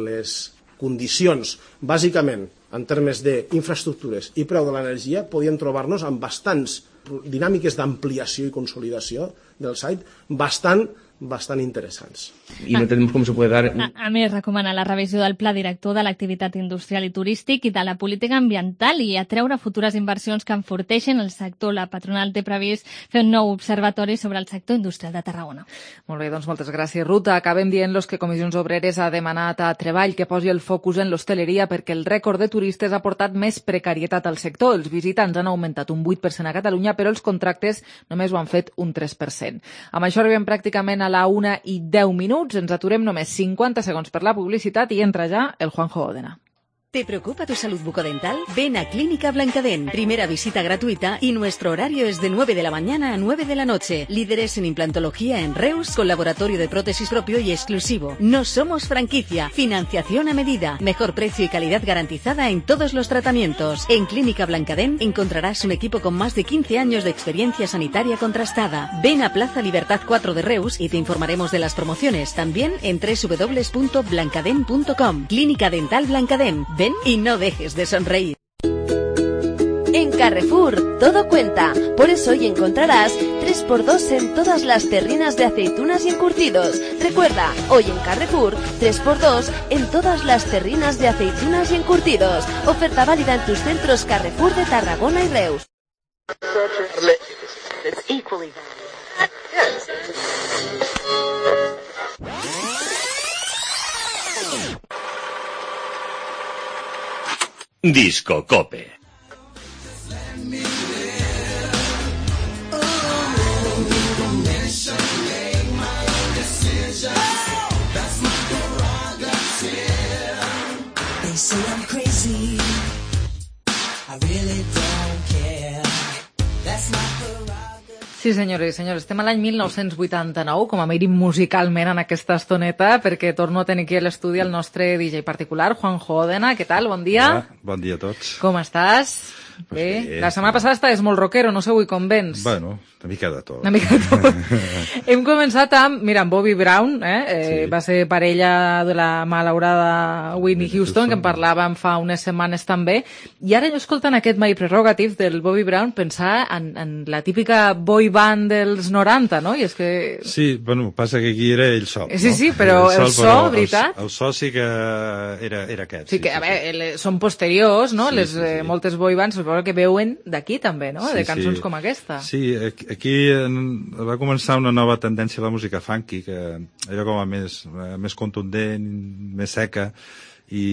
les condicions, bàsicament en termes d'infraestructures i preu de l'energia, podíem trobar-nos amb bastants dinàmiques d'ampliació i consolidació del site bastant bastant interessants. Y no entendemos cómo se puede dar... A, a més, recomana la revisió del pla director de l'activitat industrial i turístic i de la política ambiental i atreure futures inversions que enforteixen el sector. La patronal té previst fer un nou observatori sobre el sector industrial de Tarragona. Molt bé, doncs moltes gràcies, Ruta. Acabem dient-los que Comissions Obreres ha demanat a Treball que posi el focus en l'hostaleria perquè el rècord de turistes ha portat més precarietat al sector. Els visitants han augmentat un vuit per cent a Catalunya, però els contractes només ho han fet un tres per cent. Amb això arribem pràcticament a la una i deu minuts. Ens aturem només cinquanta segons per la publicitat i entra ja el Juanjo Òdena. ¿Te preocupa tu salud bucodental? Ven a Clínica Blancadent. Primera visita gratuita y nuestro horario es de nueve de la mañana a nueve de la noche. Líderes en implantología en Reus, con laboratorio de prótesis propio y exclusivo. No somos franquicia. Financiación a medida. Mejor precio y calidad garantizada en todos los tratamientos. En Clínica Blancadent encontrarás un equipo con más de quince años de experiencia sanitaria contrastada. Ven a Plaza Libertad cuatro de Reus y te informaremos de las promociones. También en doble u doble u doble u punto blancadent punto com. Clínica Dental Blancadent. Ven y no dejes de sonreír. En Carrefour, todo cuenta. Por eso hoy encontrarás tres por dos en todas las terrinas de aceitunas y encurtidos. Recuerda, hoy en Carrefour, tres por dos en todas las terrinas de aceitunas y encurtidos. Oferta válida en tus centros Carrefour de Tarragona y Reus. Disco Cope. Sí, senyores i senyors, estem a l'any mil nou-cents vuitanta-nou, com a mínim musicalment en aquesta estoneta, perquè torno a tenir aquí a l'estudi el nostre D J particular, Juanjo Òdena. Què tal? Bon dia. Hola, bon dia a tots. Com estàs? Pues bé. bé. La setmana passada estaves molt rockero, no sé avui com vens. Bueno, una mica de tot. Una mica de tot. Hem començat amb, mira, amb Bobby Brown, eh? eh sí. Va ser parella de la malaurada Whitney Houston, que en parlàvem fa unes setmanes també, i ara jo escoltant aquest My Prerogative del Bobby Brown pensar en, en la típica boy band dels noranta, no? I és que... Sí, bueno, passa que aquí era ell sol. Sí, sí, però el, sol, el so, veritat? El, el so sí que era, era aquest. Sí, sí que, sí, a veure, sí. Són posteriors, no? Sí, Les, sí, sí. Eh, moltes boy bands, suposo que veuen d'aquí també, no? Sí, de cançons sí. com aquesta. Sí, aquí va començar una nova tendència a la música funky, que era com a més, més contundent, més seca, i,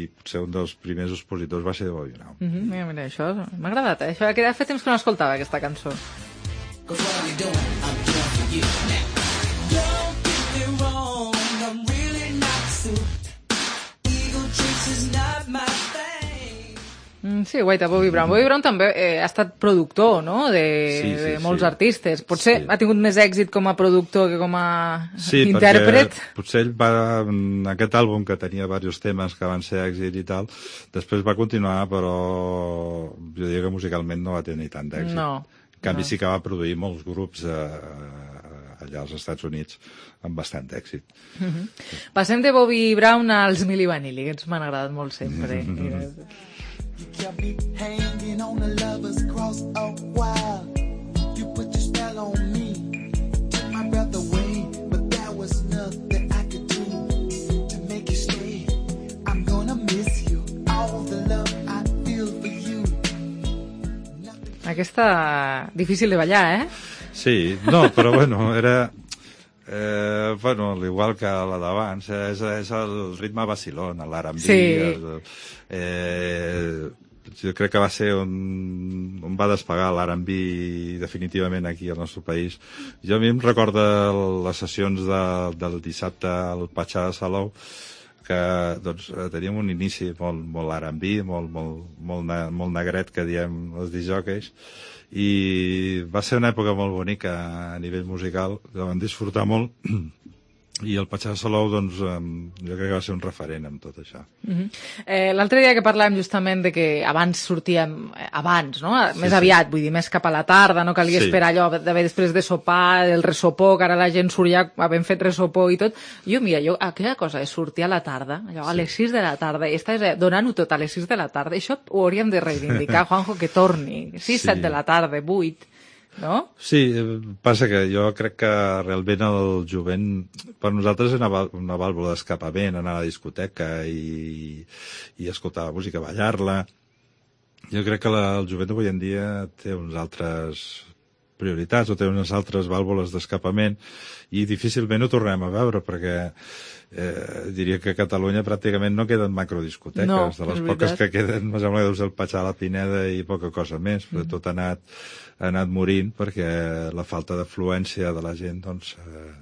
i potser un dels primers expositors va ser Bobby Brown. Mm -hmm, mira, mira, això m'ha agradat, eh? Això que fa temps que no escoltava, aquesta cançó. Mm, sí, guaita, Bobby Brown. Bobby Brown també eh, ha estat productor, no?, de, sí, sí, de molts sí. artistes. Potser sí. ha tingut més èxit com a productor que com a sí, intèrpret. Sí, potser ell va, en aquest àlbum, que tenia diversos temes que van ser èxit i tal, després va continuar, però jo diria que musicalment no va tenir tant d'èxit. No. En canvi no. sí que va produir molts grups eh, allà als Estats Units amb bastant èxit. Uh -huh. Passem de Bobby Brown als Milli Vanilli, que ens m'han agradat molt sempre. You kept me hanging on a lover's cross a while. You put your spell on me, took my breath away, but there was nothing I could do to make you stay. I'm gonna miss you, all the love I feel for you. Aquesta difícil de ballar, eh? Sí, no, però bueno, era... Eh, bueno, igual que la d'abans, és, és el ritme vacilón, l'R and B. Sí. El, eh, jo crec que va ser on, on va despegar l'R and B definitivament aquí al nostre país. Jo a mi em recorda les sessions de, del dissabte al Patxà de Salou, que doncs, teníem un inici molt, molt R and B, molt, molt, molt, ne, molt negret, que diem els disjòqueis, i va ser una època molt bonica a nivell musical, la vam disfrutar molt, i el Patxà de Salou, doncs, jo crec que va ser un referent amb tot això. Uh-huh. eh, L'altre dia que parlàvem justament de que abans sortíem, abans, no? Més sí, aviat, sí. vull dir, més cap a la tarda, no calia sí. esperar allò d'haver després de sopar, el resopó, que ara la gent surt ja havent fet resopó i tot. Jo, mira, jo, aquella cosa de sortir a la tarda, allò, a les sis de la tarda, i estàs donant-ho tot a les sis de la tarda, això ho hauríem de reivindicar, Juanjo, que torni, sis, set sí. de la tarda, vuit... No? Sí, passa que jo crec que realment el jovent per nosaltres és una, una vàlvula d'escapament, anar a la discoteca i, i escoltar la música, ballar-la. Jo crec que la, el jovent avui en dia té uns altres prioritats o té unes altres vàlvules d'escapament i difícilment ho tornem a veure perquè eh, diria que a Catalunya pràcticament no queden macrodiscoteques. No, de les poques que queden, me sembla que deu ser el Patxà, la Pineda i poca cosa més, però mm. tot ha anat ha anat morint perquè la falta d'afluència de la gent doncs, eh,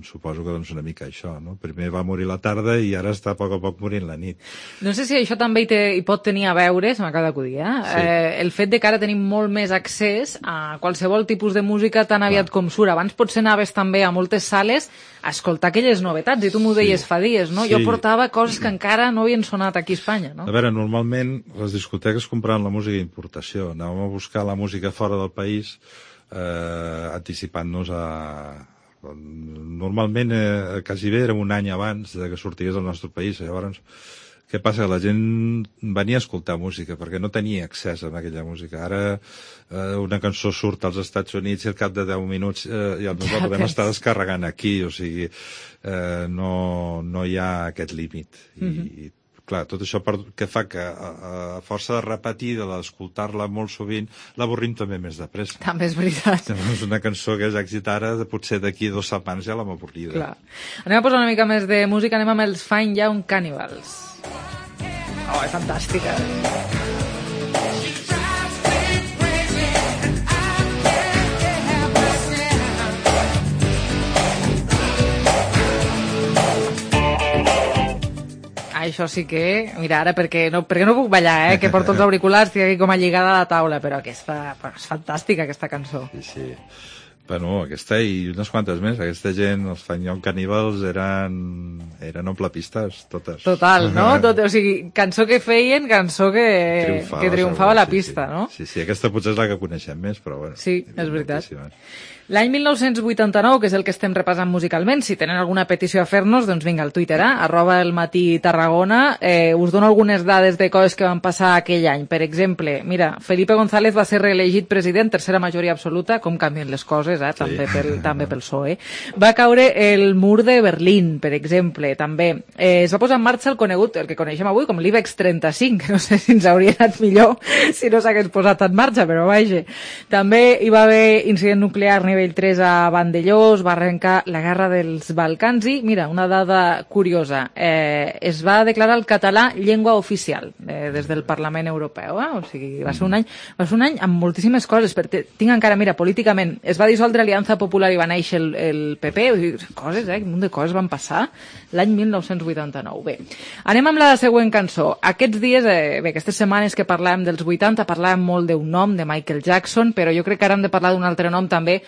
suposo que doncs una mica això, no? Primer va morir la tarda i ara està a poc a poc morint la nit. No sé si això també hi, té, hi pot tenir a veure, se m'acaba d'acudir, eh? Sí. eh? El fet de que ara tenim molt més accés a qualsevol tipus de música tan aviat Clar. com surt. Abans potser anaves també a moltes sales a escoltar aquelles novetats, i tu m'ho deies sí. fa dies, no? Sí. Jo portava coses que encara no havien sonat aquí a Espanya, no? A veure, normalment les discoteques compraven la música d'importació. Anàvem a buscar la música fora del país eh, anticipant-nos a... Normalment, eh, quasi bé, era un any abans de que sortigués al nostre país. Llavors, què passa? La gent venia a escoltar música perquè no tenia accés a aquella música. Ara eh, una cançó surt als Estats Units i al cap de deu minuts eh, ja ens la podem estar descarregant aquí. O sigui, eh, no, no hi ha aquest límit. Mm-hmm. I, clar, tot això per, que fa que a, a força de repetir, d'escoltar-la molt sovint, l'avorrim també més de pressa. També és veritat. És una cançó que és èxit ara, potser d'aquí dues setmanes ja l'hem avorrida. Clar. Anem a posar una mica més de música, anem amb els Fine Young Cannibals. Oh, és fantàstica. Això sí que... Mira, ara perquè no, perquè no puc ballar, eh? Que porto els auriculars, estic aquí com a lligada a la taula, però aquesta... Bueno, és fantàstica, aquesta cançó. Sí, sí. Bueno, aquesta i unes quantes més. Aquesta gent, els Fine Young Cannibals, eren, eren omplapistes, totes. Total, no? Tot, o sigui, cançó que feien, cançó que triomfava, que triomfava a la pista, sí, sí. no? Sí, sí, aquesta potser és la que coneixem més, però bueno. Sí, és veritat. L'any mil nou-cents vuitanta-nou, que és el que estem repassant musicalment, si tenen alguna petició a fer-nos, doncs vinga, al Twitter, eh? arroba el matí Tarragona. Eh, us dono algunes dades de coses que van passar aquell any. Per exemple, mira, Felipe González va ser reelegit president, tercera majoria absoluta, com canvien les coses, eh? també, sí. pel, també pel P S O E. Va caure el mur de Berlín, per exemple, també. Eh, es va posar en marxa el conegut, el que coneixem avui, com l'IBEX trenta-cinc, no sé si ens hauria anat millor si no s'hagués posat en marxa, però vaja. També hi va haver incident nuclear a nivell tres a Vandellós, va arrencar la guerra dels Balcans i, mira, una dada curiosa, eh, es va declarar el català llengua oficial eh, des del Parlament Europeu, eh? O sigui, va ser un any, va ser un any amb moltíssimes coses, perquè tinc encara, mira, políticament, es va dissoldre Aliança Popular i va néixer el, el P P, o sigui, coses, eh, un munt de coses van passar l'any mil nou-cents vuitanta-nou. Bé, anem amb la següent cançó. Aquests dies, eh, bé, aquestes setmanes que parlàvem dels vuitanta, parlàvem molt d'un nom, de Michael Jackson, però jo crec que ara hem de parlar d'un altre nom també,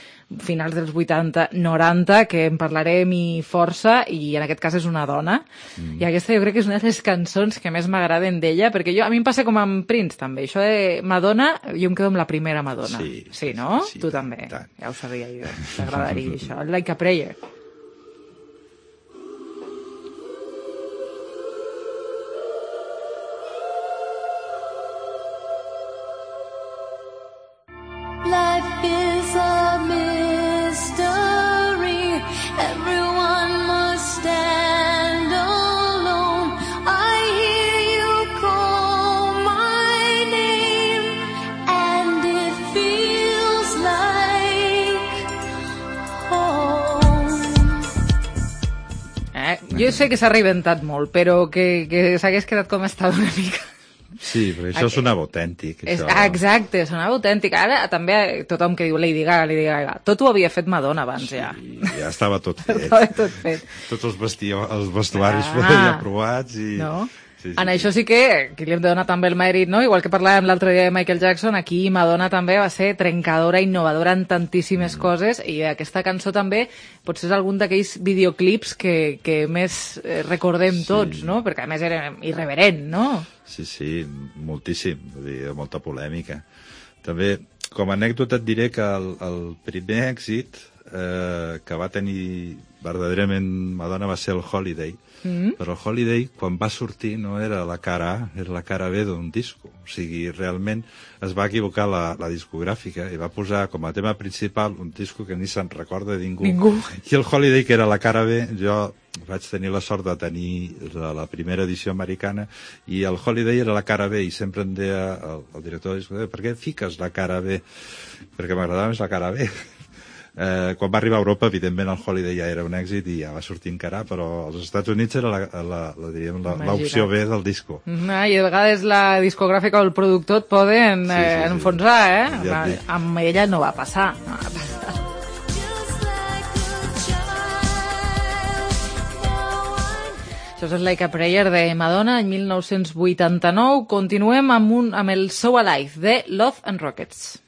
finals dels vuitanta noranta, que en parlarem i força, i en aquest cas és una dona, mm. i aquesta jo crec que és una de les cançons que més m'agraden d'ella, perquè jo, a mi em passa com amb Prince també, això de Madonna, jo em quedo amb la primera Madonna. Sí, sí no? Sí, tu també, tant. Ja ho sabia jo, t'agradaria això, Like a Prayer. Life is a mystery. Everyone must stand alone. I hear you call my name, and it feels like home. Eh, jo sé que s'ha reinventat molt, però que, que s'hagués quedat com estava una mica. Sí, però això sonava autèntic. És, això... ah, exacte, sonava autèntic. Ara també tothom que diu Lady Gaga, Lady Gaga, tot ho havia fet Madonna abans, sí, ja. Ja estava tot fet. Estava tot fet. Tots els, vestio, els vestuaris ah, ja provats i... No? Sí, sí, en sí. això sí que, que li hem de donar també el mèrit, no? Igual que parlàvem l'altre dia de Michael Jackson, aquí Madonna també va ser trencadora, innovadora en tantíssimes mm. coses, i aquesta cançó també potser és algun d'aquells videoclips que, que més recordem sí. tots, no? Perquè a més era irreverent, no? Sí, sí, moltíssim, vull dir, molta polèmica. També, com a anècdota et diré que el, el primer èxit eh, que va tenir verdaderament Madonna va ser el Holiday, mm. però el Holiday, quan va sortir, no era la cara A, era la cara B d'un disco. O sigui, realment es va equivocar la, la discogràfica i va posar com a tema principal un disco que ni se'n recorda de ningú. Ningú. I el Holiday, que era la cara B, jo vaig tenir la sort de tenir la, la primera edició americana, i el Holiday era la cara B, i sempre em deia el, el director del disco, per què fiques la cara B? Perquè m'agradava més la cara B. Eh, quan va arribar a Europa, evidentment, el Holiday ja era un èxit i ja va sortir encara, però als Estats Units era la, la, la, diríem, la, l'opció B del disco. Ah, I de vegades la discogràfica o el productor et poden eh, sí, sí, sí. enfonsar, eh? Ja amb ella no va passar. No va passar. Això és Like a Prayer de Madonna, en mil nou-cents vuitanta-nou. Continuem amb, un, amb el So Alive, de Love and Rockets.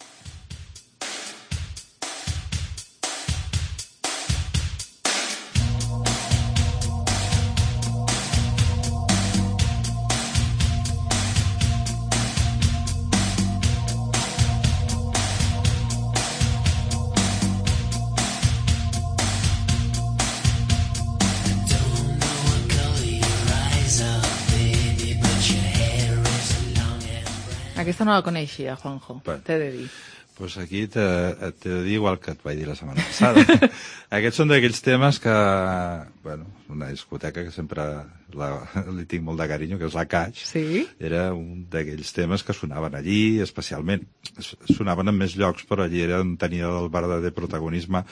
Aquesta no la coneixia, Juanjo, bueno, t'he de dir. Doncs pues aquí t'he de dir igual que et vaig dir la setmana passada. Aquests són d'aquells temes que, bueno, una discoteca que sempre la, li tinc molt de carinyo, que és la Catch. Sí? Era un d'aquells temes que sonaven allí, especialment. Sonaven en més llocs, però allí eren, tenia el verdader protagonisme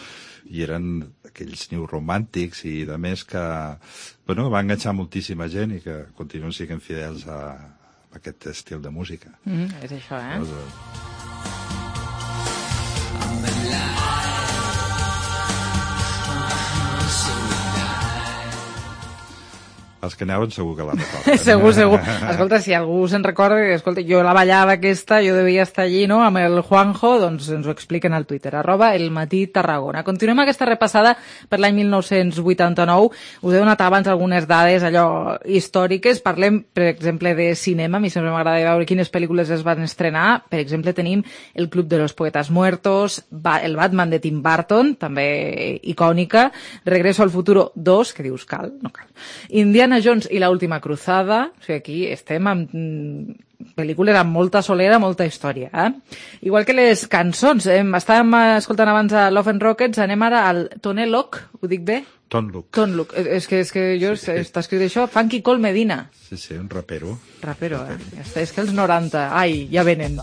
i eren aquells new romàntics i de més que, bueno, va enganxar moltíssima gent i que continuen sent fidels a aquest estil de música. Mm, és això, eh? Doncs, els que anaven segur que la recorden. Segur, segur. Escolta, si algú se'n recorda, escolta, jo la ballava aquesta, jo devia estar allí, no?, amb el Juanjo, doncs ens ho expliquen al Twitter, arroba el matí Tarragona. Continuem aquesta repassada per l'any mil nou-cents vuitanta-nou. Us he donat abans algunes dades, allò, històriques. Parlem, per exemple, de cinema. A mi sempre m'agrada veure quines pel·lícules es van estrenar. Per exemple, tenim El Club de los Poetas Muertos, el Batman de Tim Burton, també icònica, Regreso al Futuro dos, que dius, cal, no cal. Indiana Jones i la última cruzada, o sigui, aquí estem amb mm, pel·lícules amb molta solera, molta història, eh? Igual que les cançons, eh? Estàvem escoltant abans a Love and Rockets, anem ara al Tone Loc, ho dic bé? Ton Look. Ton Look, és que, és que jo, sí, sí. Està escrit això, Funky Cole Medina. Sí, sí, un rapero. Rapero, eh? Ja està, és que els noranta, ai, ja venen.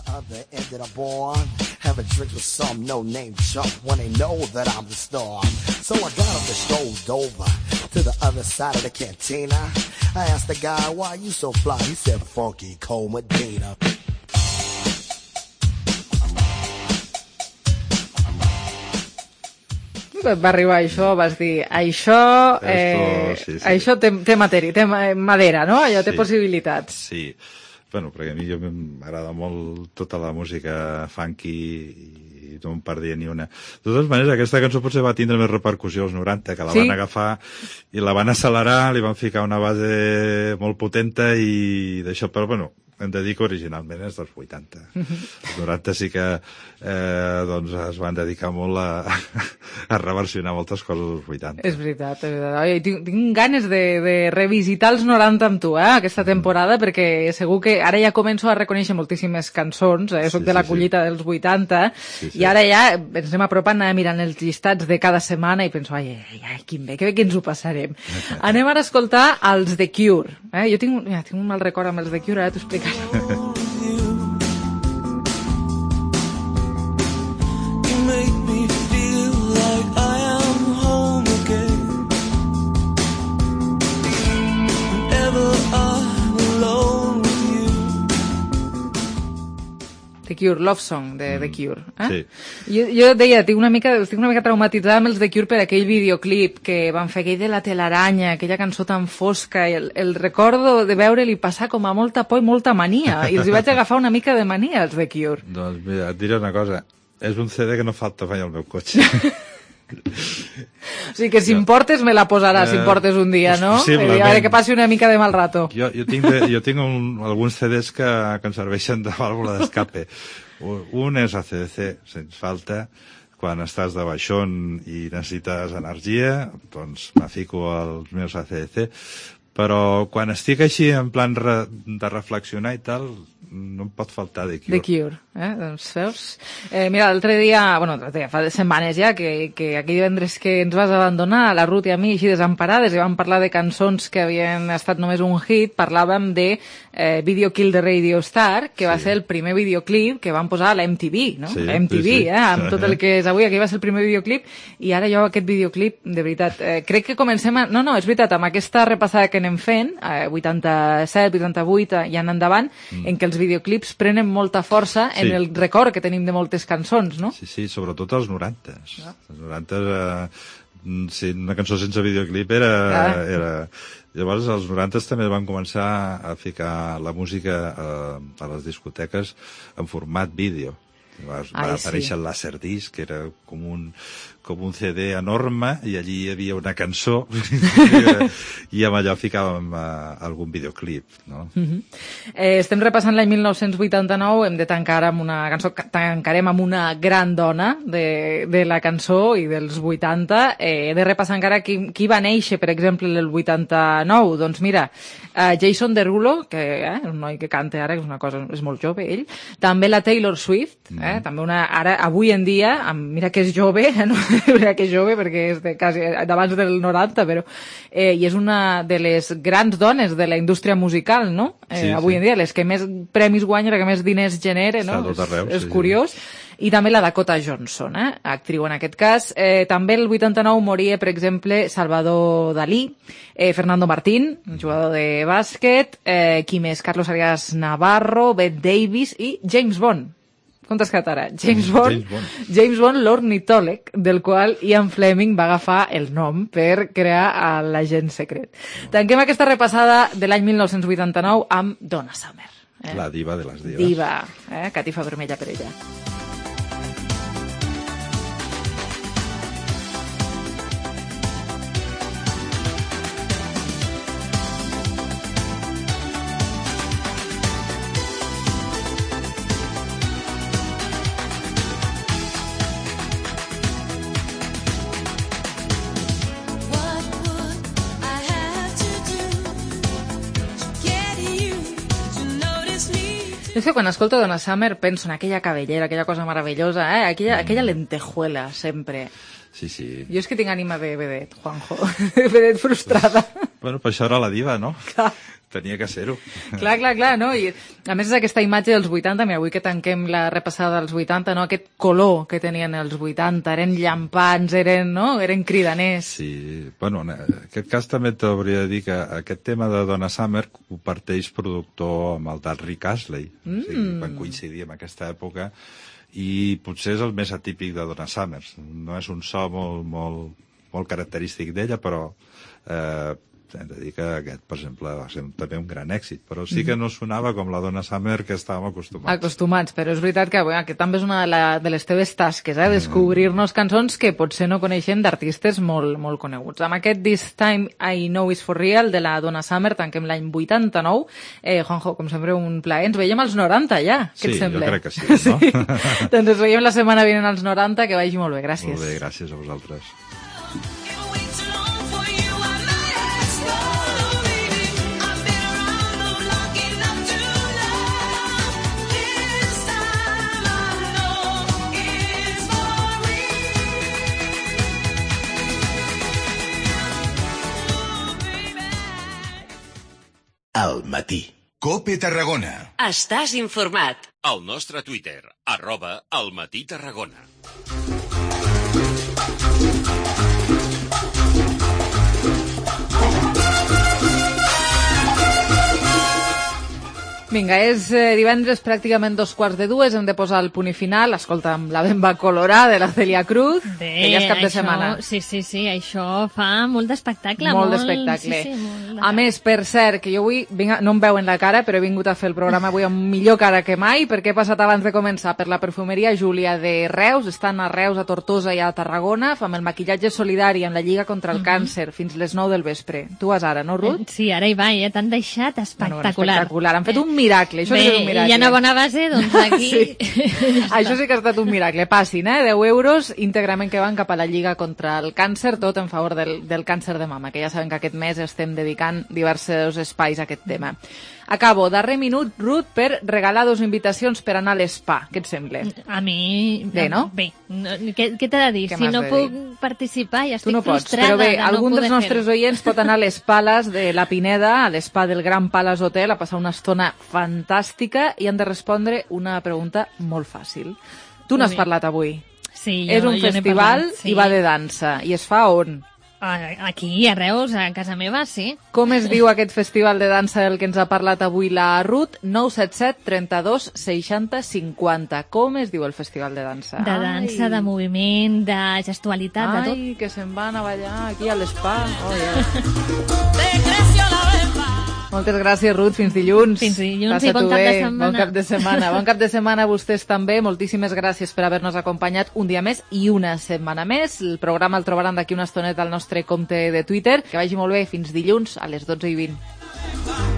Having drinks with some no-name chump when they know that I'm the star. So I got up and strolled over to the other side of the cantina. I asked the guy, why you so fly? He said, Funky Cole Medina. Va arribar això, vas dir, això, eh, Esto, sí, sí. això té, té matèria, té madera, no? Allò té Sí. possibilitats. Sí. Bueno, perquè a mi jo m'agrada molt tota la música funky i no em perdia ni una. De totes maneres, aquesta cançó potser va tindre més repercussió als noranta, que la Sí? van agafar i la van accelerar, li van ficar una base molt potenta i d'això, però bueno, hem de dir que originalment és dels vuitanta. Els noranta sí que eh, doncs es van dedicar molt a, a reversionar moltes coses dels vuitanta. És veritat, és veritat. Oi, tinc, tinc ganes de, de revisitar els noranta amb tu, eh, aquesta temporada, perquè segur que ara ja començo a reconèixer moltíssimes cançons, eh, soc Sí, de la sí, collita dels vuitanta, Sí, sí. i ara ja ens anem apropant a mirant els llistats de cada setmana i penso, ai, ai, ai, quin bé, que bé que ens ho passarem. Anem ara a escoltar els The Cure. Eh? Jo tinc, mira, tinc un mal record amb els The Cure, ara t'ho explicaré. Make me feel like I am home again. Whenever I'm alone with you. The Cure, Love Song de The Cure. Eh? Sí. Jo, jo deia, estic una, mica, estic una mica traumatitzada amb els The Cure per aquell videoclip que van fer, aquell de la telaranya, aquella cançó tan fosca, i el, el recordo de veure-li passar com a molta por i molta mania, i els hi vaig agafar una mica de mania als The Cure. Doncs mira, et diré una cosa, és un C D que no falta mai al meu cotxe. O sigui que si em portes me la posaràs, si em portes un dia, no? Possiblement. A veure, que passi una mica de mal rato. Jo, jo tinc, de, jo tinc un, alguns C Ds que, que em serveixen de vàlvula d'escape. Un és A C D C, sens falta. Quan estàs de baixón i necessites energia, doncs me fico als meus A C D C. Però quan estic així en plan re, de reflexionar i tal, no em pot faltar The Cure. The Cure, eh? Doncs veus? Eh, mira, l'altre dia, bueno, dia, fa setmanes ja, que, que aquell divendres que ens vas abandonar, la Ruth i a mi, així desemparades, i vam parlar de cançons que havien estat només un hit, parlàvem de eh, Video Kill the Radio Star, que sí. va ser el primer videoclip que van posar a la M T V, no? Sí, la M T V, sí, sí. eh? Amb tot el que és avui, aquí va ser el primer videoclip, i ara jo aquest videoclip, de veritat, eh, crec que comencem a... No, no, és veritat, amb aquesta repassada que anem fent, eh, vuitanta-set, vuitanta-vuit i en endavant, mm. en què els videoclips prenen molta força sí. en el record que tenim de moltes cançons, no? Sí, sí, sobretot els noranta. No? Els noranta, eh, Sí, una cançó sense videoclip era... Ah. era... Llavors, als noranta també van començar a ficar la música a, a les discoteques en format vídeo. Llavors, Ai, va aparèixer sí. el Laserdisc, que era com un, com un C D enorme, i allí hi havia una cançó, i amb allò ficàvem uh, algun videoclip, no? Uh-huh. eh, estem repassant l'any mil nou-cents vuitanta-nou, hem de tancar amb una cançó, tancarem amb una gran dona de, de la cançó i dels vuitanta. Eh, he de repassar encara qui, qui va néixer, per exemple, el vuitanta-nou. Doncs mira, uh, Jason Derulo, que eh, un noi que canta ara, que és una cosa, és molt jove, ell. També la Taylor Swift, mm. eh, també una, ara, avui en dia, amb, mira que és jove, eh, no? Mira que és jove perquè és de, quasi d'abans del noranta, però eh, i és una de les grans dones de la indústria musical, no? Eh, sí, avui sí. en dia, les que més premis guanya, la que més diners genera, no? Està tot arreu, és, és sí, curiós. Sí. I també la Dakota Johnson, eh? Actriu en aquest cas. Eh, també el vuitanta-nou moria, per exemple, Salvador Dalí, eh, Fernando Martín, un jugador de bàsquet, eh, qui més? Carlos Arias Navarro, Bette Davis i James Bond. Com t'has quedat ara? James Bond, James Bond, James Bond l'ornitòleg, del qual Ian Fleming va agafar el nom per crear l'agent secret. Tanquem aquesta repassada de l'any mil nou-cents vuitanta-nou amb Donna Summer. Eh? La diva de les divas. Diva, eh? Catifa vermella per ella. És que quan escolto Donna Summer penso en aquella cabellera, aquella cosa meravellosa, eh? aquella, aquella lentejuela, sempre. Sí, sí. Jo és que tinc ànima de vedet, Juanjo, de vedet frustrada. Bueno, per això era la diva, no? Clar. Tenia que ser-ho. Clar, clar, clar, no? I a més és aquesta imatge dels vuitanta, mira, avui que tanquem la repassada dels vuitanta, no? Aquest color que tenien els vuitanta, eren llampants, eren, no? Eren cridaners. Sí, bueno, en aquest cas també t'hauria de dir que aquest tema de Donna Summer ho parteix productor amb el del Rick Astley. Mm. O sigui, van coincidir en aquesta època i potser és el més atípic de Donna Summer. No és un so molt, molt, molt característic d'ella, però eh, hem de dir que aquest, per exemple, va ser també un gran èxit, però sí que no sonava com la Donna Summer que estàvem acostumats. Acostumats, però és veritat que, bueno, que també és una de, la, de les teves tasques, eh? Descobrir-nos cançons que potser no coneixem d'artistes molt, molt coneguts. Amb aquest This Time I Know Is For Real de la Donna Summer tanquem l'any vuitanta-nou. Eh, Juanjo, com sempre, un plaer. Ens veiem als noranta ja, què sí, et sembla? Sí, jo crec que sí, no? Sí. Doncs ens veiem la setmana vinent als noranta, que vagi molt bé, gràcies. Molt bé, gràcies a vosaltres. Al matí. COPE Tarragona. Estàs informat. Al nostre Twitter, arroba Al Matí Tarragona. Vinga, és eh, divendres, pràcticament dos quarts de dues, hem de posar el punt i final. Escolta, amb la bemba colorada de la Celia Cruz, Bé, que ja és cap de això, setmana. Sí, sí, sí, això fa molt d'espectacle. Molt, molt d'espectacle. Sí, sí, molt de... A més, per cert, que jo avui, vinc, no em veuen la cara, però he vingut a fer el programa avui amb millor cara que mai, perquè he passat abans de començar per la perfumeria Júlia de Reus, estan a Reus, a Tortosa i a Tarragona, amb el maquillatge solidari amb la Lliga contra el uh -huh. Càncer fins les nou del vespre. Tu vas ara, no, Ruth? Sí, ara hi va, ja t'han deixat espectacular. Bueno, espectacular, han fet un miracle, això Bé, és un miracle. hi ha una bona base, doncs aquí... Sí. Ja això sí que ha estat un miracle. Passin, eh? deu euros íntegrament que van cap a la Lliga contra el Càncer, tot en favor del, del càncer de mama, que ja saben que aquest mes estem dedicant diversos espais a aquest tema. Acabo, darrer minut, Ruth, per regalar dos invitacions per anar a l'espa. Què et sembla? A mi... Bé, no? Bé. No, què què t'he de dir? Què Si m'has no de puc dir? participar, ja Tu estic no pots, frustrada però bé, de no algun dels poder nostres fer-ho. oients pot anar a les Pales de la Pineda, a l'espa del Gran Palace Hotel, a passar una estona fantàstica i han de respondre una pregunta molt fàcil. Tu n'has Bé. parlat avui. Sí, jo, És un jo n'he festival parlat, sí. i va de dansa. I es fa on? Aquí, a Reus, a casa meva, sí. Com es diu aquest festival de dansa del que ens ha parlat avui la Ruth? nou set set trenta-dos seixanta cinquanta. Com es diu el festival de dansa? De dansa, Ai. de moviment, de gestualitat, Ai, de tot. Ai, que se'n van a ballar aquí a l'Spa. Oh, yeah. Moltes gràcies, Ruth. Fins dilluns. Fins dilluns Passa i bon cap bé. de setmana. Bon cap de setmana. Bon cap de setmana a vostès també. Moltíssimes gràcies per haver-nos acompanyat un dia més i una setmana més. El programa el trobaran d'aquí una estoneta al nostre compte de Twitter. Que vagi molt bé. Fins dilluns a les dotze i vint.